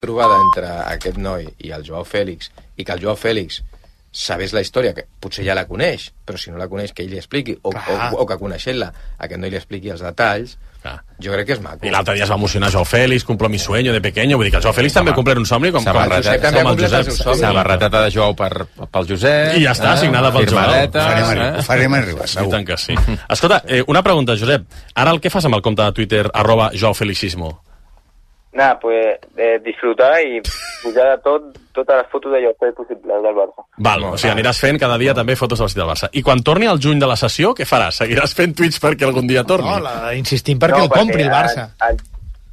trobada entre aquest noi i el Joao Fèlix, i que el Joao Fèlix sabés la història, que potser ja la coneix, però si no la coneix que ell li expliqui, o que coneixent-la aquest noi li expliqui els detalls, jo crec que és maco. I l'altre dia es va emocionar Joao Fèlix, cumplo mi sueño de pequeño, vull dir que el Joao Fèlix també complert un somni com el Josep també ha complert el seu somni. Samarreteta de Joao pel Josep. I ja està, signada pel Joao. Ho farem arribar, segur. I tant que sí. Escolta, una pregunta, Josep. Ara el que fas amb el compte de Twitter @JoaoFelixismo? Nada, pues disfrutar y pujar totes les fotos d'allò que és possible del Barça. Val, o sigui, aniràs fent cada dia també fotos del Barça. I quan torni el juny de la sessió, què faràs? Seguiràs fent tuits perquè algun dia torni? No, insistim perquè el compri el Barça.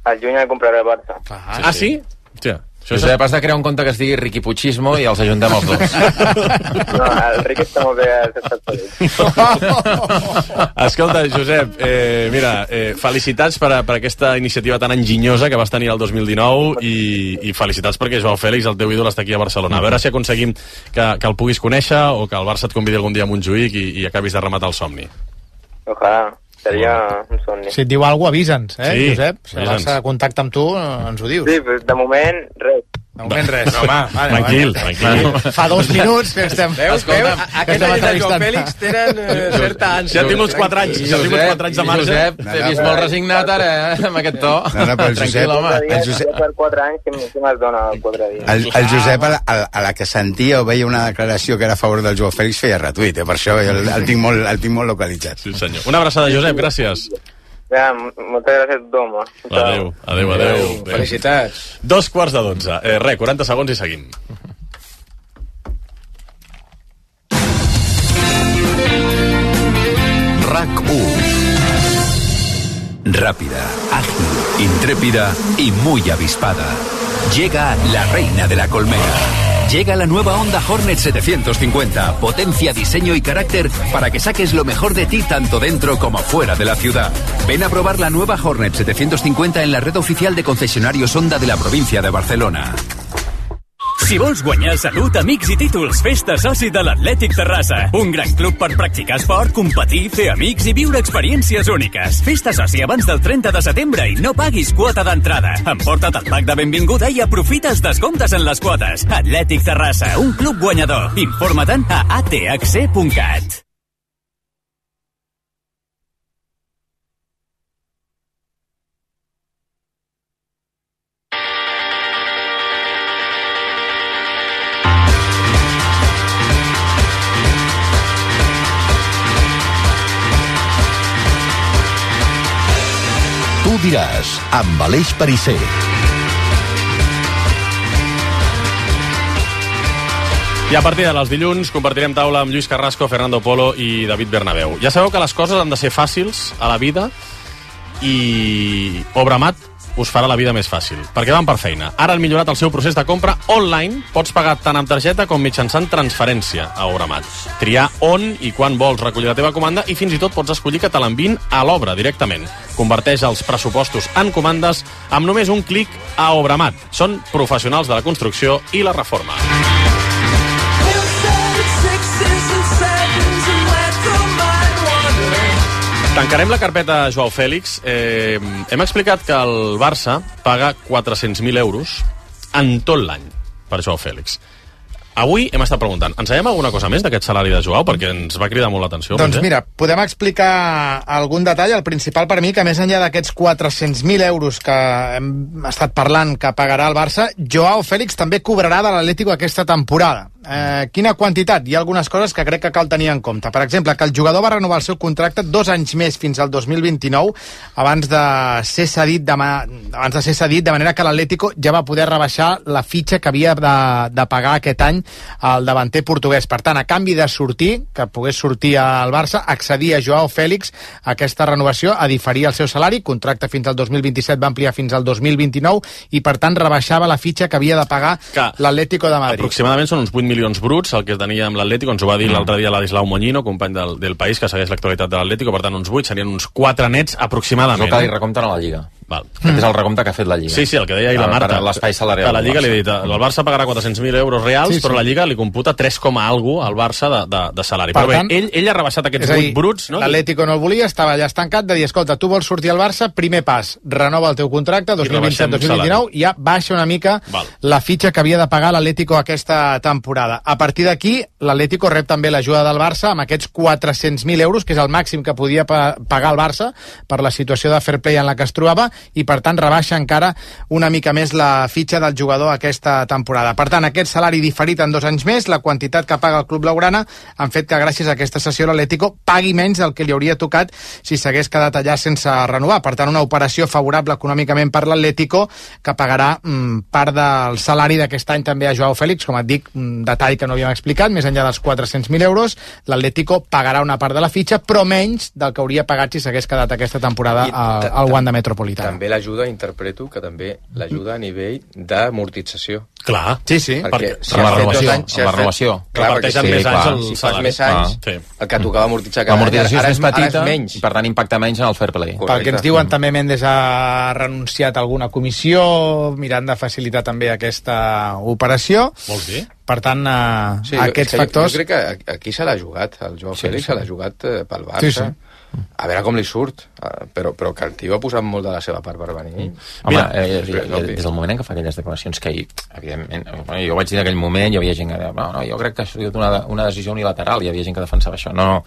Al juny el compraré el Barça. Ah, sí? Hòstia. Josep, has de crear un compte que es digui Riqui Puigismo i els ajuntem els dos. No, el Riqui està molt bé als Estats Units. Escolta, Josep, mira, felicitats per aquesta iniciativa tan enginyosa que vas tenir el 2019 i felicitats perquè Joao Fèlix, el teu ídol, està aquí a Barcelona. A veure si aconseguim que el puguis conèixer o que el Barça et convidi algun dia a Montjuïc i acabis de rematar el somni. Ojalà. Seria un somni. Si et diu alguna cosa, avisa'ns, Josep? Si el avisa'ns. Barça contacta amb tu, ens ho dius. Sí, però de moment, res. De moment res. No, home, tranquil. Fa 2 minuts que estem... Veus? Aquests anys de Joao Fèlix tenen certa ànsia. Ja tinc uns 4 anys. Ja tinc uns 4 anys de marge. Josep, t'he vist molt resignat ara, amb aquest to. No, però el Josep... Per 4 anys, què me'ls dona 4 dies? El Josep, a la que sentia o veia una declaració que era a favor del Joao Fèlix, feia retuit, per això el tinc molt localitzat. Sí, senyor. Una abraçada, Josep, gràcies. Ja, moltes gràcies a tothom. Adéu. Felicitats. 11:45. Res, 40 segons i seguim. RAC1. Rápida, ágil, intrépida y muy avispada. Llega la reina de la colmena. Llega la nueva Honda Hornet 750, potencia, diseño y carácter para que saques lo mejor de ti tanto dentro como fuera de la ciudad. Ven a probar la nueva Hornet 750 en la red oficial de concesionarios Honda de la provincia de Barcelona. Si vols guanyar salut, amics i títols, festa soci de l'Atlètic Terrassa. Un gran club per practicar esport, competir, fer amics i viure experiències úniques. Festa soci abans del 30 de setembre i no paguis quota d'entrada. Emporta't el pack de benvinguda i aprofita els descomptes en les quotes. Atlètic Terrassa, un club guanyador. Informa-te'n a athc.cat. Tu diràs, amb Aleix Perisser. I a partir dels dilluns compartirem taula amb Lluís Carrasco, Fernando Polo i David Bernabéu. Ja sabeu que les coses han de ser fàcils a la vida i Obramat us farà la vida més fàcil, perquè van per feina. Ara han millorat el seu procés de compra online. Pots pagar tant amb targeta com mitjançant transferència a Obramat. Triar on i quan vols recollir la teva comanda i fins i tot pots escollir que te l'enviïn a l'obra directament. Converteix els pressupostos en comandes amb només un clic a Obramat. Són professionals de la construcció i la reforma. Tancarem la carpeta Joao Fèlix. Hem explicat que el Barça paga 400.000 euros en tot l'any per Joao Fèlix. Avui hem estat preguntant, ens sabem alguna cosa més d'aquest salari de Joao? Perquè ens va cridar molt l'atenció. Doncs mira, podem explicar algun detall. El principal per mi, que més enllà d'aquests 400.000 euros que hem estat parlant que pagarà el Barça, Joao Fèlix també cobrarà de l'Atlético aquesta temporada. Quina quantitat? Hi ha algunes coses que crec que cal tenir en compte. Per exemple, que el jugador va renovar el seu contracte 2 anys més fins al 2029 abans de ser cedit, de manera que l'Atlético ja va poder rebaixar la fitxa que havia de pagar aquest any al davanter portuguès. Per tant, a canvi de sortir, que pogués sortir al Barça, accedir a Joao Fèlix a aquesta renovació, a diferir el seu salari, contracte fins al 2027, va ampliar fins al 2029 i per tant rebaixava la fitxa que havia de pagar l'Atlético de Madrid. Aproximadament són uns 8 milions bruts, el que tenia amb l'Atlético, ens ho va dir l'altre dia Ladislau Moñino, company del País, que segueix l'actualitat de l'Atlético, per tant uns 8, serien uns 4 nets aproximadament. És el que li recompten a la Lliga. Val. Aquest és el recompte que ha fet la Lliga. Sí, el que deia ahir la Marta. Per l'espai salarial. Que la Lliga li ha dit, el Barça pagarà 400.000 euros reals, però la Lliga li computa 3, algo al Barça de salari. Però bé, ell ha rebaixat aquests 8 bruts, no? L'Atlético no el volia, estava allà estancat, de dir, escolta, tu vols sortir al Barça, primer pas, renova el teu contracte, 2027-2029, i ja baixa una mica la fitxa que havia de pagar l'Atlético aquesta temporada. A partir d'aquí, l'Atlético rep també l'ajuda del Barça amb aquests 400.000 euros, que és el màxim que podia pagar el Barça per la situació de fair play en la que es trobava, i per tant rebaixa encara una mica més la fitxa del jugador aquesta temporada. Per tant, aquest salari diferit en 2 anys més, la quantitat que paga el club blaugrana, han fet que gràcies a aquesta sessió l'Atlético pagui menys del que li hauria tocat si s'hagués quedat allà sense renovar. Per tant, una operació favorable econòmicament per l'Atlético, que pagarà part del salari d'aquest any també a Joao Félix. Com et dic, un detall que no havíem explicat, més enllà dels 400.000 euros, l'Atlético pagarà una part de la fitxa, però menys del que hauria pagat si s'hagués quedat aquesta temporada al Wanda Metropolitano. També l'ajuda, interpreto, que també l'ajuda a nivell d'amortització. Clar. Sí. Perquè si la renovació. Reparteixen més anys el si fas més anys, el que tocava amortitzar cada any, l'amortització és més petita menys. i per tant impacta menys en el fair play. Pel que ens diuen, també Mendes ha renunciat a alguna comissió, mirant de facilitar també aquesta operació. Vols dir? Per tant, aquests factors... Jo crec que aquí se l'ha jugat, el Joao Félix se l'ha jugat pel Barça. A veure com li surt, però que el tio ha posat molt de la seva part per venir. Home, des del moment en què fa aquelles declaracions que evidentment, jo vaig dir en aquell moment, hi havia gent que deia, no, jo crec que ha sigut una decisió unilateral, hi havia gent que defensava això. No,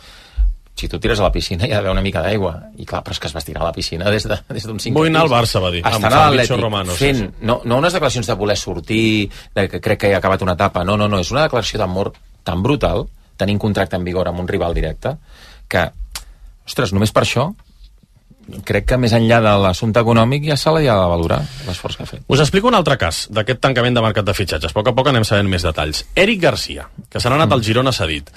si tu tires a la piscina hi ha d'haver una mica d'aigua, i clar, però és que es va tirar a la piscina des d'un 5 Vull anar al Barça, va dir, amb l'Atlètic, fent, no unes declaracions de voler sortir, que crec que ja ha acabat una etapa, no, és una declaració d'amor tan brutal, tenint contracte en vigor amb un rival directe, que ostres, només per això crec que més enllà de l'assumpte econòmic ja se l'ha de valorar l'esforç que ha fet. Us explico un altre cas d'aquest tancament de mercat de fitxatges. A poc anem sabent més detalls. Eric Garcia, que se n'ha anat al Girona cedit.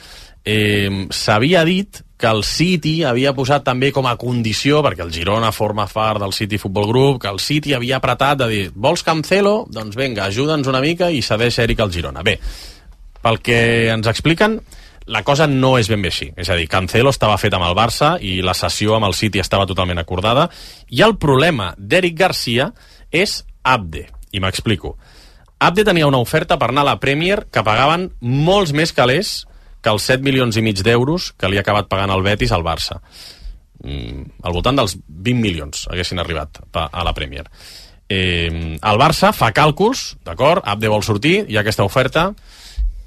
S'havia dit que el City havia posat també com a condició, perquè el Girona forma part del City Football Group, que el City havia apretat de dir, vols Cancelo? Doncs vinga, ajuda'ns una mica i cedeix Eric al Girona. Bé, pel que ens expliquen, la cosa no és ben bé així. És a dir, Cancelo estava fet amb el Barça i la cessió amb el City estava totalment acordada, i el problema d'Eric Garcia és Abde, i m'explico. Abde tenia una oferta per anar a la Premier que pagaven molts més calés que els 7,5 milions d'euros que li ha acabat pagant el Betis al Barça. Al voltant dels 20 milions haguessin arribat a la Premier. El Barça fa càlculs, d'acord, Abde vol sortir, hi ha aquesta oferta,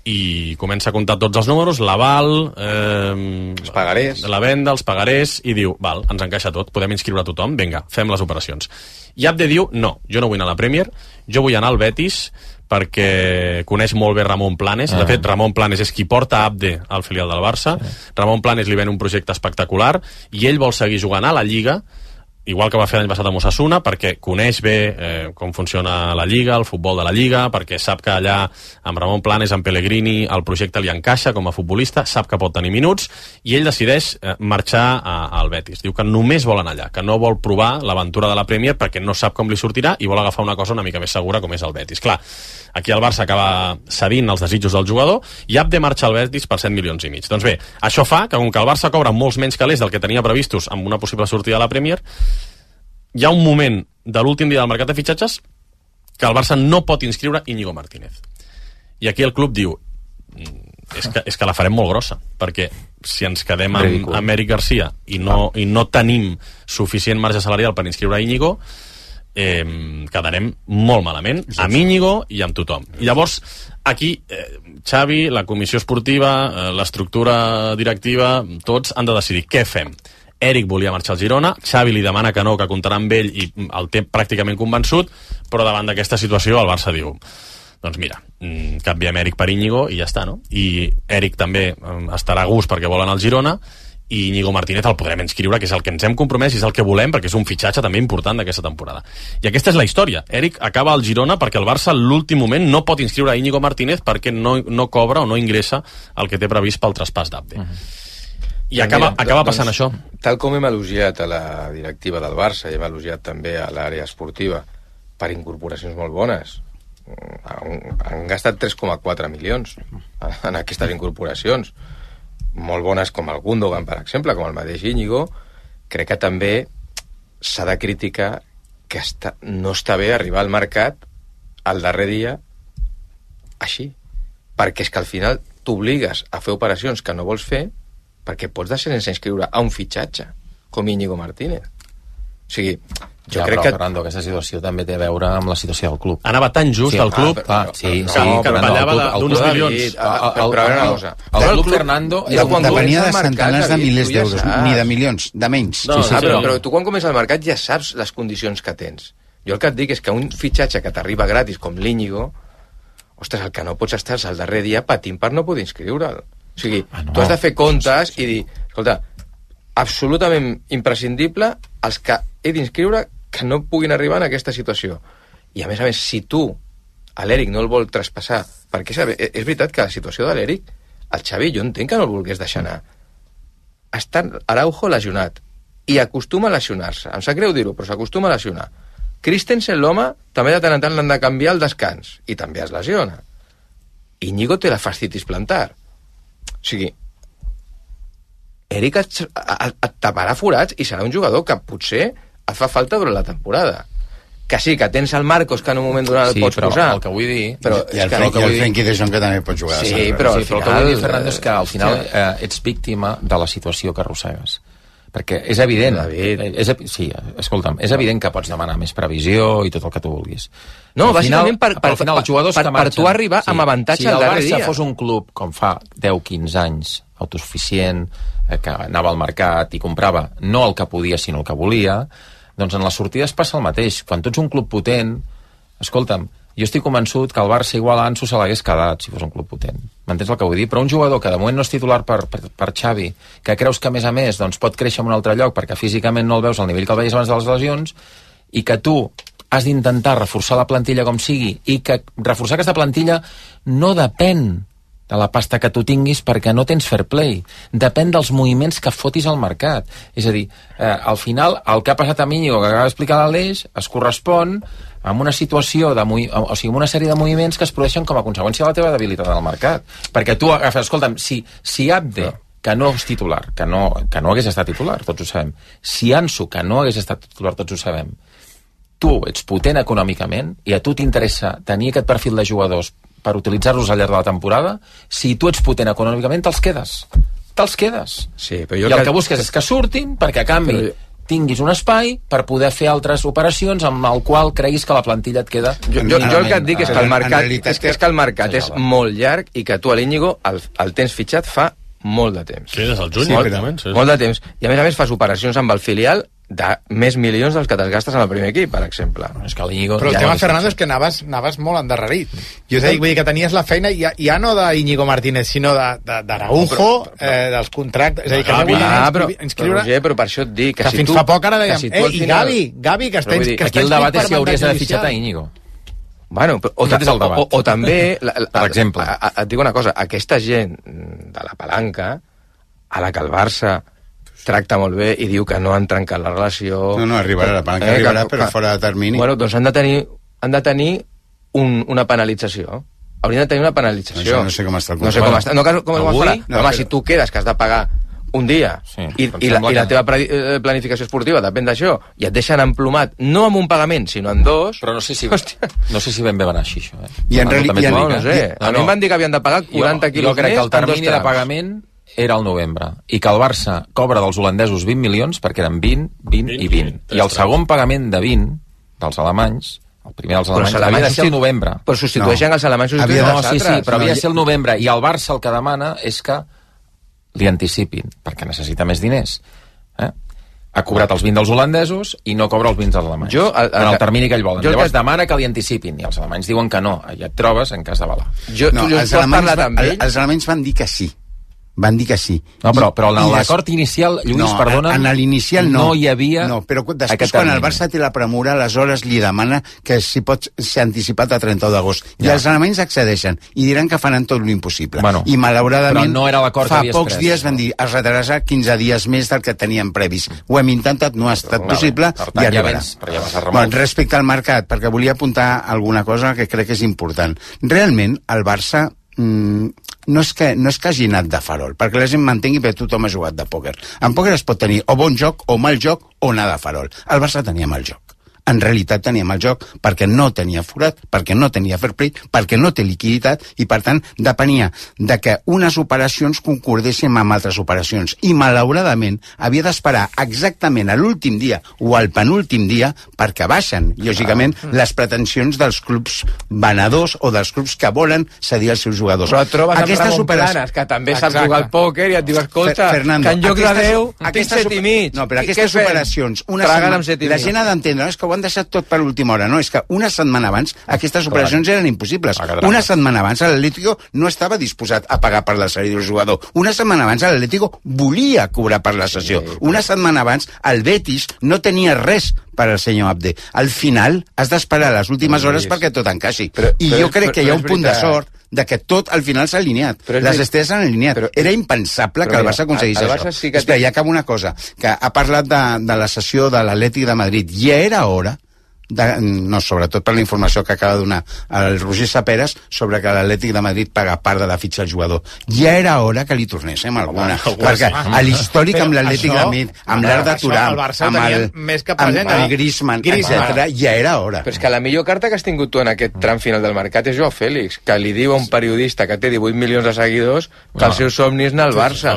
i comença a comptar tots els números, l'aval, els pagarés, la venda, els pagarés, i diu, val, ens encaixa tot, podem inscriure a tothom, vinga, fem les operacions. I Abde diu, no, jo no vull anar a la Premier, jo vull anar al Betis perquè coneix molt bé Ramon Planes. De fet, Ramon Planes és qui porta Abde al filial del Barça. Ramon Planes li ven un projecte espectacular i ell vol seguir jugant a la Lliga, igual que va fer l'any passat amb Osasuna, perquè coneix bé com funciona la Lliga, el futbol de la Lliga, perquè sap que allà amb Ramon Planes, amb Pellegrini, el projecte li encaixa com a futbolista, sap que pot tenir minuts, i ell decideix marxar al Betis. Diu que només vol anar allà, que no vol provar l'aventura de la Premier perquè no sap com li sortirà i vol agafar una cosa una mica més segura com és el Betis. Clar, aquí el Barça acaba cedint els desitjos del jugador i Abde marxa al Betis per 7,5 milions. Doncs bé, això fa que com que el Barça cobra molts menys calés del que tenia previstos amb una possible sortida a la Premier, hi ha un moment de l'últim dia del mercat de fitxatges que el Barça no pot inscriure Íñigo Martínez. I aquí el club diu, és que la farem molt grossa, perquè si ens quedem amb Eric Garcia i no tenim suficient marge salarial per inscriure Íñigo, quedarem molt malament amb Íñigo i amb tothom. I llavors aquí Xavi, la comissió esportiva, l'estructura directiva, tots han de decidir què fem. Eric volia marxar al Girona, Xavi li demana que no, que comptarà amb ell i el té pràcticament convençut, però davant d'aquesta situació el Barça diu, doncs mira, canviem Eric per Íñigo i ja està, no? I Eric també estarà a gust perquè vol anar al Girona, i Íñigo Martínez el podrem inscriure, que és el que ens hem compromès i és el que volem, perquè és un fitxatge també important d'aquesta temporada. I aquesta és la història. Eric acaba al Girona perquè el Barça a l'últim moment no pot inscriure Íñigo Martínez perquè no cobra o no ingressa el que té previst pel traspàs d'Abde. I acaba passant això. Tal com hem elogiat a la directiva del Barça i hem elogiat també a l'àrea esportiva per incorporacions molt bones, han gastat 3,4 milions en aquestes incorporacions, molt bones com el Gundogan, per exemple, com el mateix Íñigo. Crec que també s'ha de criticar que no està bé arribar al mercat al darrer dia així. Perquè és que al final t'obligues a fer operacions que no vols fer perquè pots deixar sense inscriure a un fitxatge com Íñigo Martínez. O sigui, jo crec que... Fernando, aquesta situació també té a veure amb la situació del club. Anava tan just el club que ballava d'uns milions. Però a veure una cosa. El club Fernando... Depenia de centenars de milers d'euros, ni de milions, de menys. Però tu quan comença el mercat ja saps les condicions que tens. Jo el que et dic és que un fitxatge que t'arriba gratis com l'Íñigo, ostres, el que no pots estar és el darrer dia patint per no poder inscriure'l. O sigui, tu has de fer comptes i dir, escolta, absolutament imprescindible els que he d'inscriure que no puguin arribar en aquesta situació. I a més, si tu a l'Eric no el vol traspassar, perquè és veritat que la situació de l'Eric, el Xavi, jo entenc que no el volgués deixar anar. Està Araujo lesionat i acostuma a lesionar-se. Em sap greu dir-ho, però s'acostuma a lesionar. Christensen, l'home, també de tant en tant l'han de canviar al descans i també es lesiona. Íñigo té la fascitis plantar. O sigui, Eric et taparà forats i serà un jugador que potser et fa falta durant la temporada. Que sí, que tens el Marcos que en un moment donat el pots posar. El que vull dir... I el Frenkie de Jong que també pot jugar. Sí, però al final... el que vull dir, Fernando, és que al final ets víctima de la situació que arrossegues. Perquè és evident, escolta'm, és evident que pots demanar més previsió i tot el que tu vulguis. No, bàsicament per tu arribar amb avantatge al darrer dia. Si el Barça fos un club com fa 10-15 anys, autosuficient, que anava al mercat i comprava no el que podia sinó el que volia, doncs en les sortides passa el mateix. Quan tu ets un club potent, escolta'm, jo estic convençut que el Barça igual a Ansu se l'hagués quedat si fos un club potent. M'entens el que vull dir? Però un jugador que de moment no és titular per Xavi, que creus que a més doncs pot créixer en un altre lloc perquè físicament no el veus al nivell que el veies abans de les lesions, i que tu has d'intentar reforçar la plantilla com sigui, i que reforçar aquesta plantilla no depèn de la pasta que tu tinguis perquè no tens fair play. Depèn dels moviments que fotis al mercat. És a dir, al final, el que ha passat a Íñigo, que acaba d'explicar l'Aleix, es correspon amb una situació, o sigui, amb una sèrie de moviments que es produeixen com a conseqüència de la teva debilitat al mercat. Perquè tu agafes, escolta'm, si Abde, que no és titular, que no hagués estat titular, tots ho sabem, si Ansu, que no hagués estat titular, tots ho sabem, tu ets potent econòmicament i a tu t'interessa tenir aquest perfil de jugadors per utilitzar-los al llarg de la temporada, si tu ets potent econòmicament, te'ls quedes. Sí, però i el que busques és que surtin perquè a canvi tinguis un espai per poder fer altres operacions amb el qual creguis que la plantilla et queda... Jo el que et dic és que el mercat és molt llarg i que tu a l'Íñigo el tens fitxat fa molt de temps. Sí, des del juny, molt de temps. I a més fas operacions amb el filial de més milions dels que te'ls gastes en el primer equip, per exemple. És que l'Íñigo... Però el tema, Fernando, és que anaves molt endarrerit. Jo vull dir que tenies la feina ja no d'Íñigo Martínez, sinó d'Araujo, dels contractes... És a dir, que no inscriure... Però per això et dic que si fins tu... fa poc ara dèiem, i Gavi, que està inscrit aquí el debat és si hauries d'haver fitxat a Íñigo. Bueno, o també... Per exemple. Et dic una cosa, aquesta gent de la palanca, a la que el Barça tracta molt bé i diu que no han trencat la relació... No, arribarà, la palanca arribarà, però fora de termini. Bueno, doncs han de tenir una penalització. Haurien de tenir una penalització. Això no sé com està el contracte. No sé com està. No, com ho farà? Home, si tu quedes que has de pagar un dia i la teva planificació esportiva depèn d'això i et deixen emplomat, no amb un pagament, sinó en dos... Però no sé si ben bé va anar així, això. No sé. A mi em van dir que havien de pagar 40 quilos més. Jo crec que el termini de pagament era el novembre, i que el Barça cobra dels holandesos 20 milions, perquè eren 20 i 20. I el segon pagament de 20 dels alemanys, el primer dels alemanys, havia de ser el novembre. Però substitueixen els alemanys, substitueixen els altres. Sí, però havia de ser el novembre, i el Barça el que demana és que li anticipin, perquè necessita més diners. Ha cobrat els 20 dels holandesos i no cobra els 20 dels alemanys. En el termini que ell volen. Llavors demana que li anticipin, i els alemanys diuen que no. Ja et trobes en cas de balar. Els alemanys van dir que sí. Van dir que sí. No, però en l'acord inicial, Lluís, perdona... En l'inicial no. No hi havia... No, però després, quan el Barça té la premura, aleshores li demana que si pot ser anticipat a 31 d'agost. I els alemanys accedeixen i diran que faran tot l'impossible. I malauradament, no era l'acord fa pocs dies van dir es retrasarà 15 dies més del que teníem previs. Ho hem intentat, no ha estat possible i arribarà. Respecte al mercat, perquè volia apuntar alguna cosa que crec que és important. Realment, el Barça... no és que hagi anat de farol, perquè la gent m'entengui, perquè tothom ha jugat de pòquer. En pòquer es pot tenir o bon joc o mal joc o anar de farol. El Barça tenia mal joc. En realitat teníem el joc perquè no tenia forat, perquè no tenia fair play, perquè no té liquiditat i, per tant, depenia de que unes operacions concordessin amb altres operacions. I, malauradament, havia d'esperar exactament a l'últim dia o al penúltim dia perquè baixen, lògicament, les pretensions dels clubs venedors o dels clubs que volen cedir els seus jugadors. Però et trobes amb Ramon Planes, que també sap jugar al pòquer i et diu, escolta, Fernando, que en lloc de 10 tinc 7 i mig. No, però aquestes operacions, la gent ha d'entendre, és que ho han deixat tot per l'última hora, no? És que una setmana abans aquestes operacions eren impossibles. Una setmana abans l'Atlético no estava disposat a pagar per la sèrie del jugador. Una setmana abans l'Atlético volia cobrar per la sessió. Una setmana abans el Betis no tenia res per al senyor Abde. Al final has d'esperar les últimes hores perquè tot encaixi. I jo crec que hi ha un punt de sort de que tot al final s'ha alineat. Les estrelles s'han alineat. Era impensable que el Barça aconseguís això. Espera, ja acaba una cosa, que ha parlat de la sessió de l'Atlètic de Madrid. Ja era hora sobretot per la informació que acaba de donar el Roger Saperas sobre que l'Atlètic de Madrid paga part de la fitxa al jugador. Ja era hora que li tornéssim alguna. Perquè a l'històric amb l'Atlètic de Madrid, amb l'Arda Turam, amb el Griezmann, etc., ja era hora. Però és que la millor carta que has tingut tu en aquest tram final del mercat és Joao Félix, que li diu a un periodista que té 18 milions de seguidors que el seu somni és anar al Barça.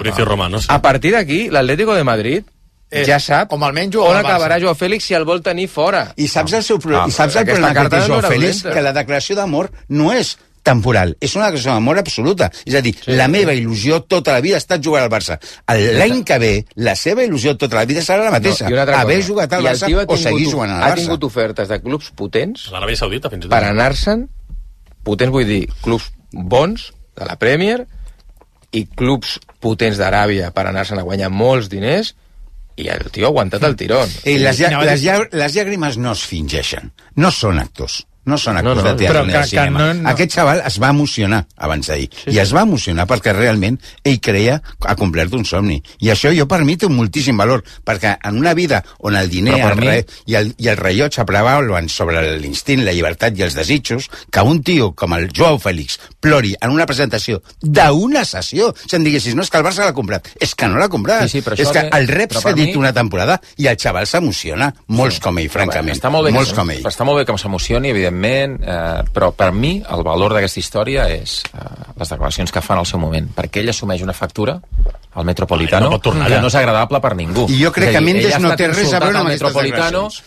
A partir d'aquí, l'Atlético de Madrid ja sap on acabarà Joao Félix si el vol tenir fora. I saps el problema que té Joao Félix? Que la declaració d'amor no és temporal, és una declaració d'amor absoluta. És a dir, la meva il·lusió tota la vida ha estat jugar al Barça. L'any que ve, la seva il·lusió tota la vida serà la mateixa. Haver jugat al Barça o seguir jugant al Barça. Ha tingut ofertes de clubs potents l'Aràbia Saudita, fins i tot, per anar-se'n, potents vull dir, clubs bons de la Premier i clubs potents d'Aràbia per anar-se'n a guanyar molts diners, i el tio ha aguantat el tirón. Les llàgrimes no es fingeixen, no són actors. No són actors de teatre ni de cinema. Aquest xaval es va emocionar abans d'ahir. I es va emocionar perquè realment ell creia ha complert un somni. I això jo per mi té moltíssim valor, perquè en una vida on el diner i el rellotge prevalen sobre l'instint, la llibertat i els desitjos, que un tio com el Joao Félix plori en una presentació d'una sessió, si em diguessis, no, és que el Barça l'ha comprat. És que no l'ha comprat. És que el rep s'ha dit una temporada i el xaval s'emociona. Molts com ell, francament. Està molt bé que s'emocioni, evidentment, però per mi el valor d'aquesta història és les declaracions que fan al seu moment, perquè ell assumeix una factura al Metropolitano que no és agradable per ningú. I jo crec que Mendes no té res a veure amb aquestes declaracions.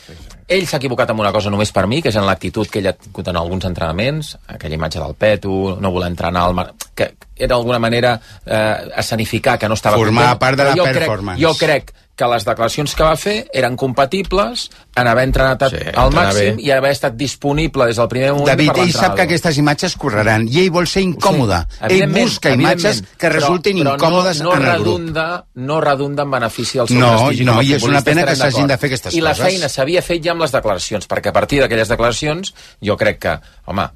Ell s'ha equivocat amb una cosa només per mi, que és en l'actitud que ell ha tingut en alguns entrenaments, aquella imatge del Peto, no voler entrenar que era d'alguna manera escenificar que no estava formar part de la performance. Jo crec que les declaracions que va fer eren compatibles en haver entrenat al màxim i haver estat disponible des del primer moment. David, ell sap que aquestes imatges correran i ell vol ser incòmode. Ell busca imatges que resultin incòmodes en el grup. No redunda en benefici del seu prestigi. No, i és una pena que s'hagin de fer aquestes coses. I la feina s'havia fet ja amb les declaracions, perquè a partir d'aquelles declaracions jo crec que, home,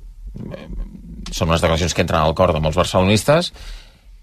són unes declaracions que entren al cor de molts barcelonistes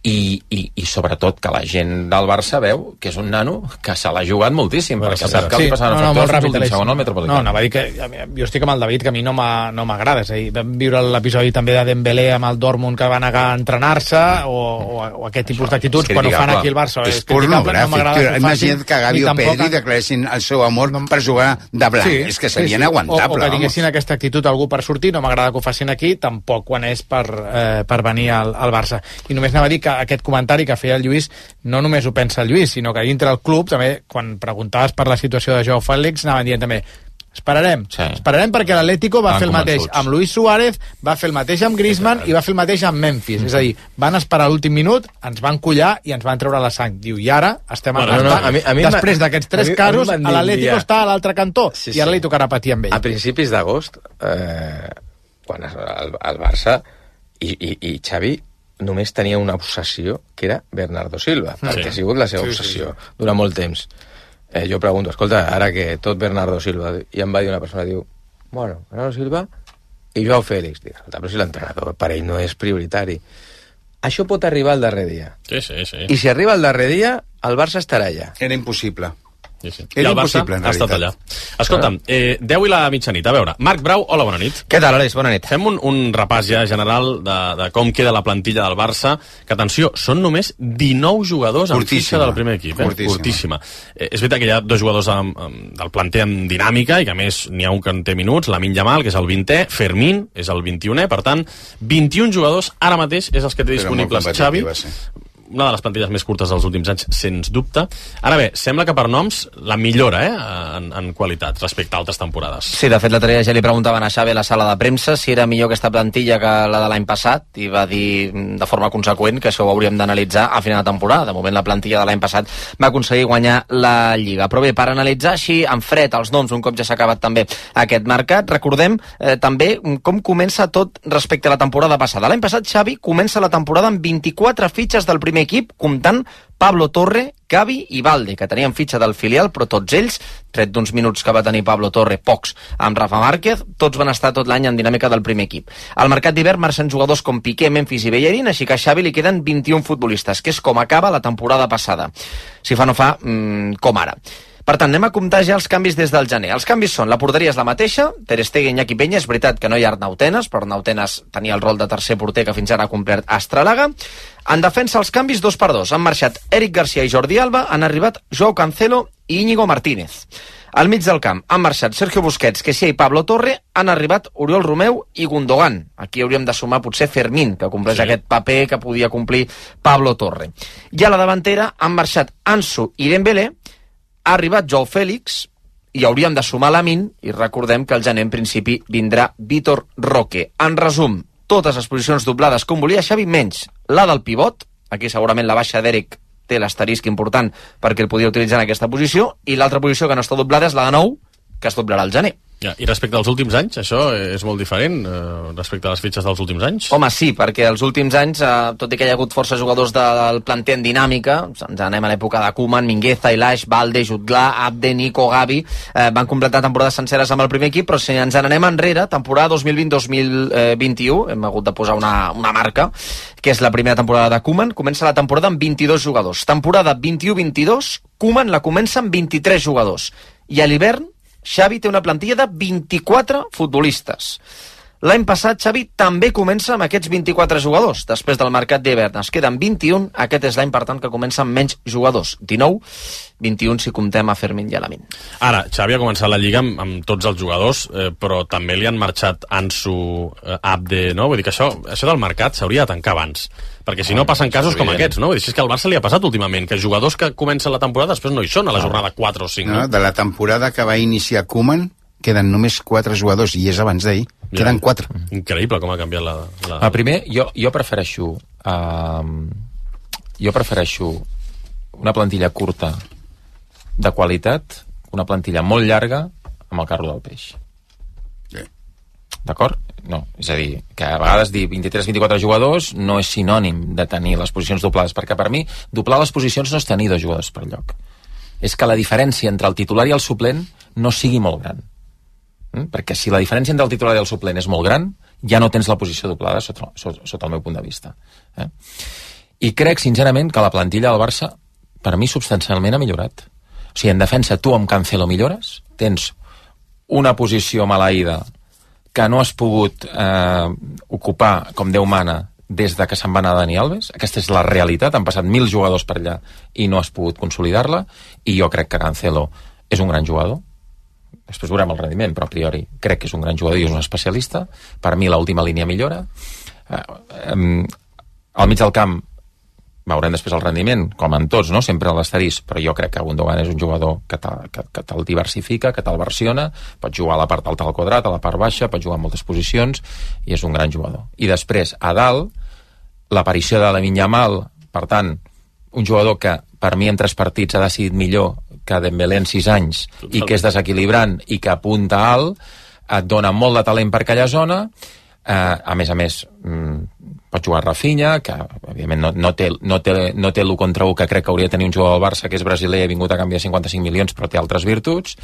i sobretot que la gent del Barça veu que és un nano que se l'ha jugat moltíssim, perquè sap que li passaven factors fins l'últim segon al Metropolitano. No, va dir que jo estic amb el David, que a mi no m'agrada. És a dir, vam viure l'episodi també de Dembélé amb el Dortmund, que va negar a entrenar-se, o aquest tipus d'actituds quan ho fan aquí al Barça. És pornogràfic. Imagina't que Gavi o Pedri declaressin el seu amor per jugar de blanc. És que seria inaguantable. O que tinguessin aquesta actitud algú per sortir, no m'agrada que ho facin aquí, tampoc quan és per venir al Barça. I només anava a dir que aquest comentari que feia el Lluís no només ho pensa el Lluís, sinó que dintre el club també, quan preguntaves per la situació de Joao Félix, anaven dient també esperarem perquè l'Atlético va fer el mateix amb Luis Suárez, va fer el mateix amb Griezmann i va fer el mateix amb Memphis. És a dir, van esperar l'últim minut, ens van collar i ens van treure la sang. Diu, i ara estem després d'aquests 3 casos, l'Atlético està a l'altre cantó i ara li tocarà patir amb ell. A principis d'agost, quan el Barça i Xavi només tenia una obsessió, que era Bernardo Silva, perquè ha sigut la seva obsessió durant molt temps. Jo pregunto, escolta, ara que tot Bernardo Silva, i em va dir una persona, diu, bueno, Bernardo Silva i Joao Félix. Dic, escolta, però si l'entrenador per ell no és prioritari. Això pot arribar al darrer dia. Sí. I si arriba al darrer dia, el Barça estarà allà. Era impossible. Sí. I el Barça ha estat allà. Escolta'm, 10 i la mitjanit. A veure, Marc Brau, hola, bona nit. Què tal, Aleix? Bona nit. Fem un repàs ja general de com queda la plantilla del Barça, que, atenció, són només 19 jugadors en fitxa del primer equip. Fortíssima. És veritat que hi ha 2 jugadors del planter en dinàmica i que, a més, n'hi ha un que en té minuts, Lamine Yamal, que és el 20è, Fermín és el 21è, per tant, 21 jugadors ara mateix és els que té disponibles Xavi. Una de les plantilles més curtes dels últims anys, sens dubte. Ara bé, sembla que per noms la millora en qualitat respecte a altres temporades. Sí, de fet, l'altre dia ja li preguntaven a Xavi a la sala de premsa si era millor aquesta plantilla que la de l'any passat i va dir de forma conseqüent que això ho hauríem d'analitzar a final de temporada. De moment, la plantilla de l'any passat va aconseguir guanyar la Lliga. Però bé, per analitzar així en fred els noms, un cop ja s'ha acabat també aquest mercat, recordem també com comença tot respecte a la temporada passada. L'any passat, Xavi comença la temporada amb 24 fitxes del primer equip, comptant Pablo Torre, Gavi i Balde, que tenien fitxa del filial, però tots ells, tret d'uns minuts que va tenir Pablo Torre, pocs, amb Rafa Márquez, tots van estar tot l'any en dinàmica del primer equip. Al mercat d'hivern marxen jugadors com Piqué, Memphis i Bellerín, així que a Xavi li queden 21 futbolistes, que és com acaba la temporada passada. Si fa no fa, com ara. Per tant, anem a comptar ja els canvis des del gener. Els canvis són, la porteria és la mateixa, Ter Stegen, Iñaki Peña, és veritat que no hi ha Arnau Tenas, però Arnau Tenas tenia el rol de tercer porter que fins ara ha complert Astralaga. En defensa, els canvis 2 per 2. Han marxat Eric Garcia i Jordi Alba, han arribat Joao Cancelo i Íñigo Martínez. Al mig del camp han marxat Sergio Busquets, Kessie i Pablo Torre, han arribat Oriol Romeu i Gundogan. Aquí hauríem de sumar potser Fermín, que compleix aquest paper que podia complir Pablo Torre. I a la davantera han marxat Ansu i Dembélé, ha arribat Joao Fèlix i hauríem de sumar Lamine, i recordem que al gener en principi vindrà Vitor Roque. En resum, totes les posicions doblades com volia Xavi, menys la del pivot, aquí segurament la baixa d'Eric té l'asterisc important perquè el podia utilitzar en aquesta posició, i l'altra posició que no està doblada és la de nou, que es doblarà al gener. Ja, i respecte als últims anys, això és molt diferent respecte a les fitxes dels últims anys? Home, sí, perquè els últims anys, tot i que hi ha hagut força jugadors del planter en dinàmica, ens anem a l'època de Koeman, Mingueza, Ilaix, Balde, Jutgla, Abde, Nico, Gavi, van completar temporades senceres amb el primer equip, però si ens n'anem enrere, temporada 2020-2021, hem hagut de posar una marca, que és la primera temporada de Koeman, comença la temporada amb 22 jugadors. Temporada 21-22, Koeman la comença amb 23 jugadors. I a l'hivern, Xavi té una plantilla de 24 futbolistes. L'any passat, Xavi també comença amb aquests 24 jugadors. Després del mercat d'hivern es queden 21. Aquest és l'any, per tant, que comença amb menys jugadors. 19, 21 si comptem a Fermín i a Lamine. Ara, Xavi ha començat la Lliga amb tots els jugadors, però també li han marxat Ansu, Abde, no? Vull dir que això del mercat s'hauria de tancar abans. Perquè si no passen casos com aquests, no? Vull dir, és que al Barça li ha passat últimament, que jugadors que comencen la temporada després no hi són a la jornada 4 o 5. No? De la temporada que va iniciar Koeman, queden només 4 jugadors, i és abans d'ahir. Queden 4. Increïble com ha canviat la... Primer, jo prefereixo una plantilla curta de qualitat, una plantilla molt llarga amb el carro del peix. D'acord? No, és a dir, que a vegades dir 23-24 jugadors no és sinònim de tenir les posicions doblades, perquè per mi doblar les posicions no és tenir 2 jugadors per lloc. És que la diferència entre el titular i el suplent no sigui molt gran. Perquè si la diferència entre el titular i el suplent és molt gran, ja no tens la posició doblada sota el meu punt de vista. I crec, sincerament, que la plantilla del Barça, per mi, substancialment ha millorat. O sigui, en defensa, tu amb Cancelo millores, tens una posició maleïda que no has pogut ocupar com Déu mana des de que se'n va anar Dani Alves. Aquesta és la realitat, han passat 1.000 jugadors per allà i no has pogut consolidar-la, i jo crec que Cancelo és un gran jugador. Després veurem el rendiment, però a priori crec que és un gran jugador i és un especialista. Per mi l'última línia millora. Al mig del camp veurem després el rendiment, com en tots, no? Sempre l'asterisc, però jo crec que Gundogan és un jugador que te'l diversifica, que te'l versiona, pot jugar a la part alta del quadrat, a la part baixa, pot jugar en moltes posicions, i és un gran jugador. I després, a dalt, l'aparició de Lamine Yamal, per tant, un jugador que per mi en 3 partits ha decidit millor que Dembélé en 6 anys, i que és desequilibrant i que apunta alt, et dona molt de talent per aquella zona. A més, pot jugar Rafinha, que evidentment no té l'1 contra 1 que crec que hauria de tenir un jugador del Barça, que és brasiler, ha vingut a canvi de 55 milions, però té altres virtuts.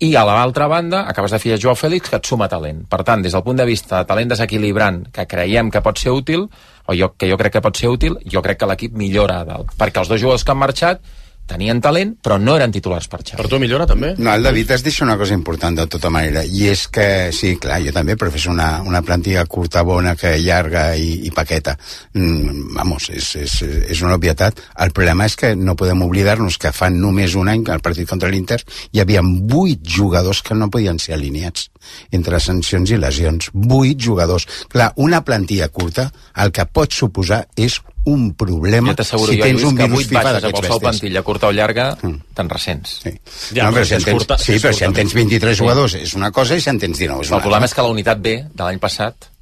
I a l'altra banda acabes de fiar Joao Fèlix, que et suma talent. Per tant, des del punt de vista de talent desequilibrant, que creiem que pot ser útil, o jo crec que pot ser útil, jo crec que l'equip millora a dalt, perquè els 2 jugadors que han marxat tenien talent, però no eren titulars per Xavi. Per tu millora, també? No, el David has dit una cosa important de tota manera, i és que, sí, clar, jo també prefereixo una plantilla curta, bona, que llarga i paqueta. Vamos, és una obvietat. El problema és que no podem oblidar-nos que fa només un any, al partit contra l'Inter, hi havia 8 jugadors que no podien ser alineats entre sancions i lesions. 8 jugadors. Clar, una plantilla curta, el que pot suposar és un problema si tens un virus FIFA d'aquests bèsties. Plantilla curta o llarga, tan recents. Sí, però si en tens 23 jugadors és una cosa i si en tens 19 és una altra. El problema és que la unitat B de l'any passat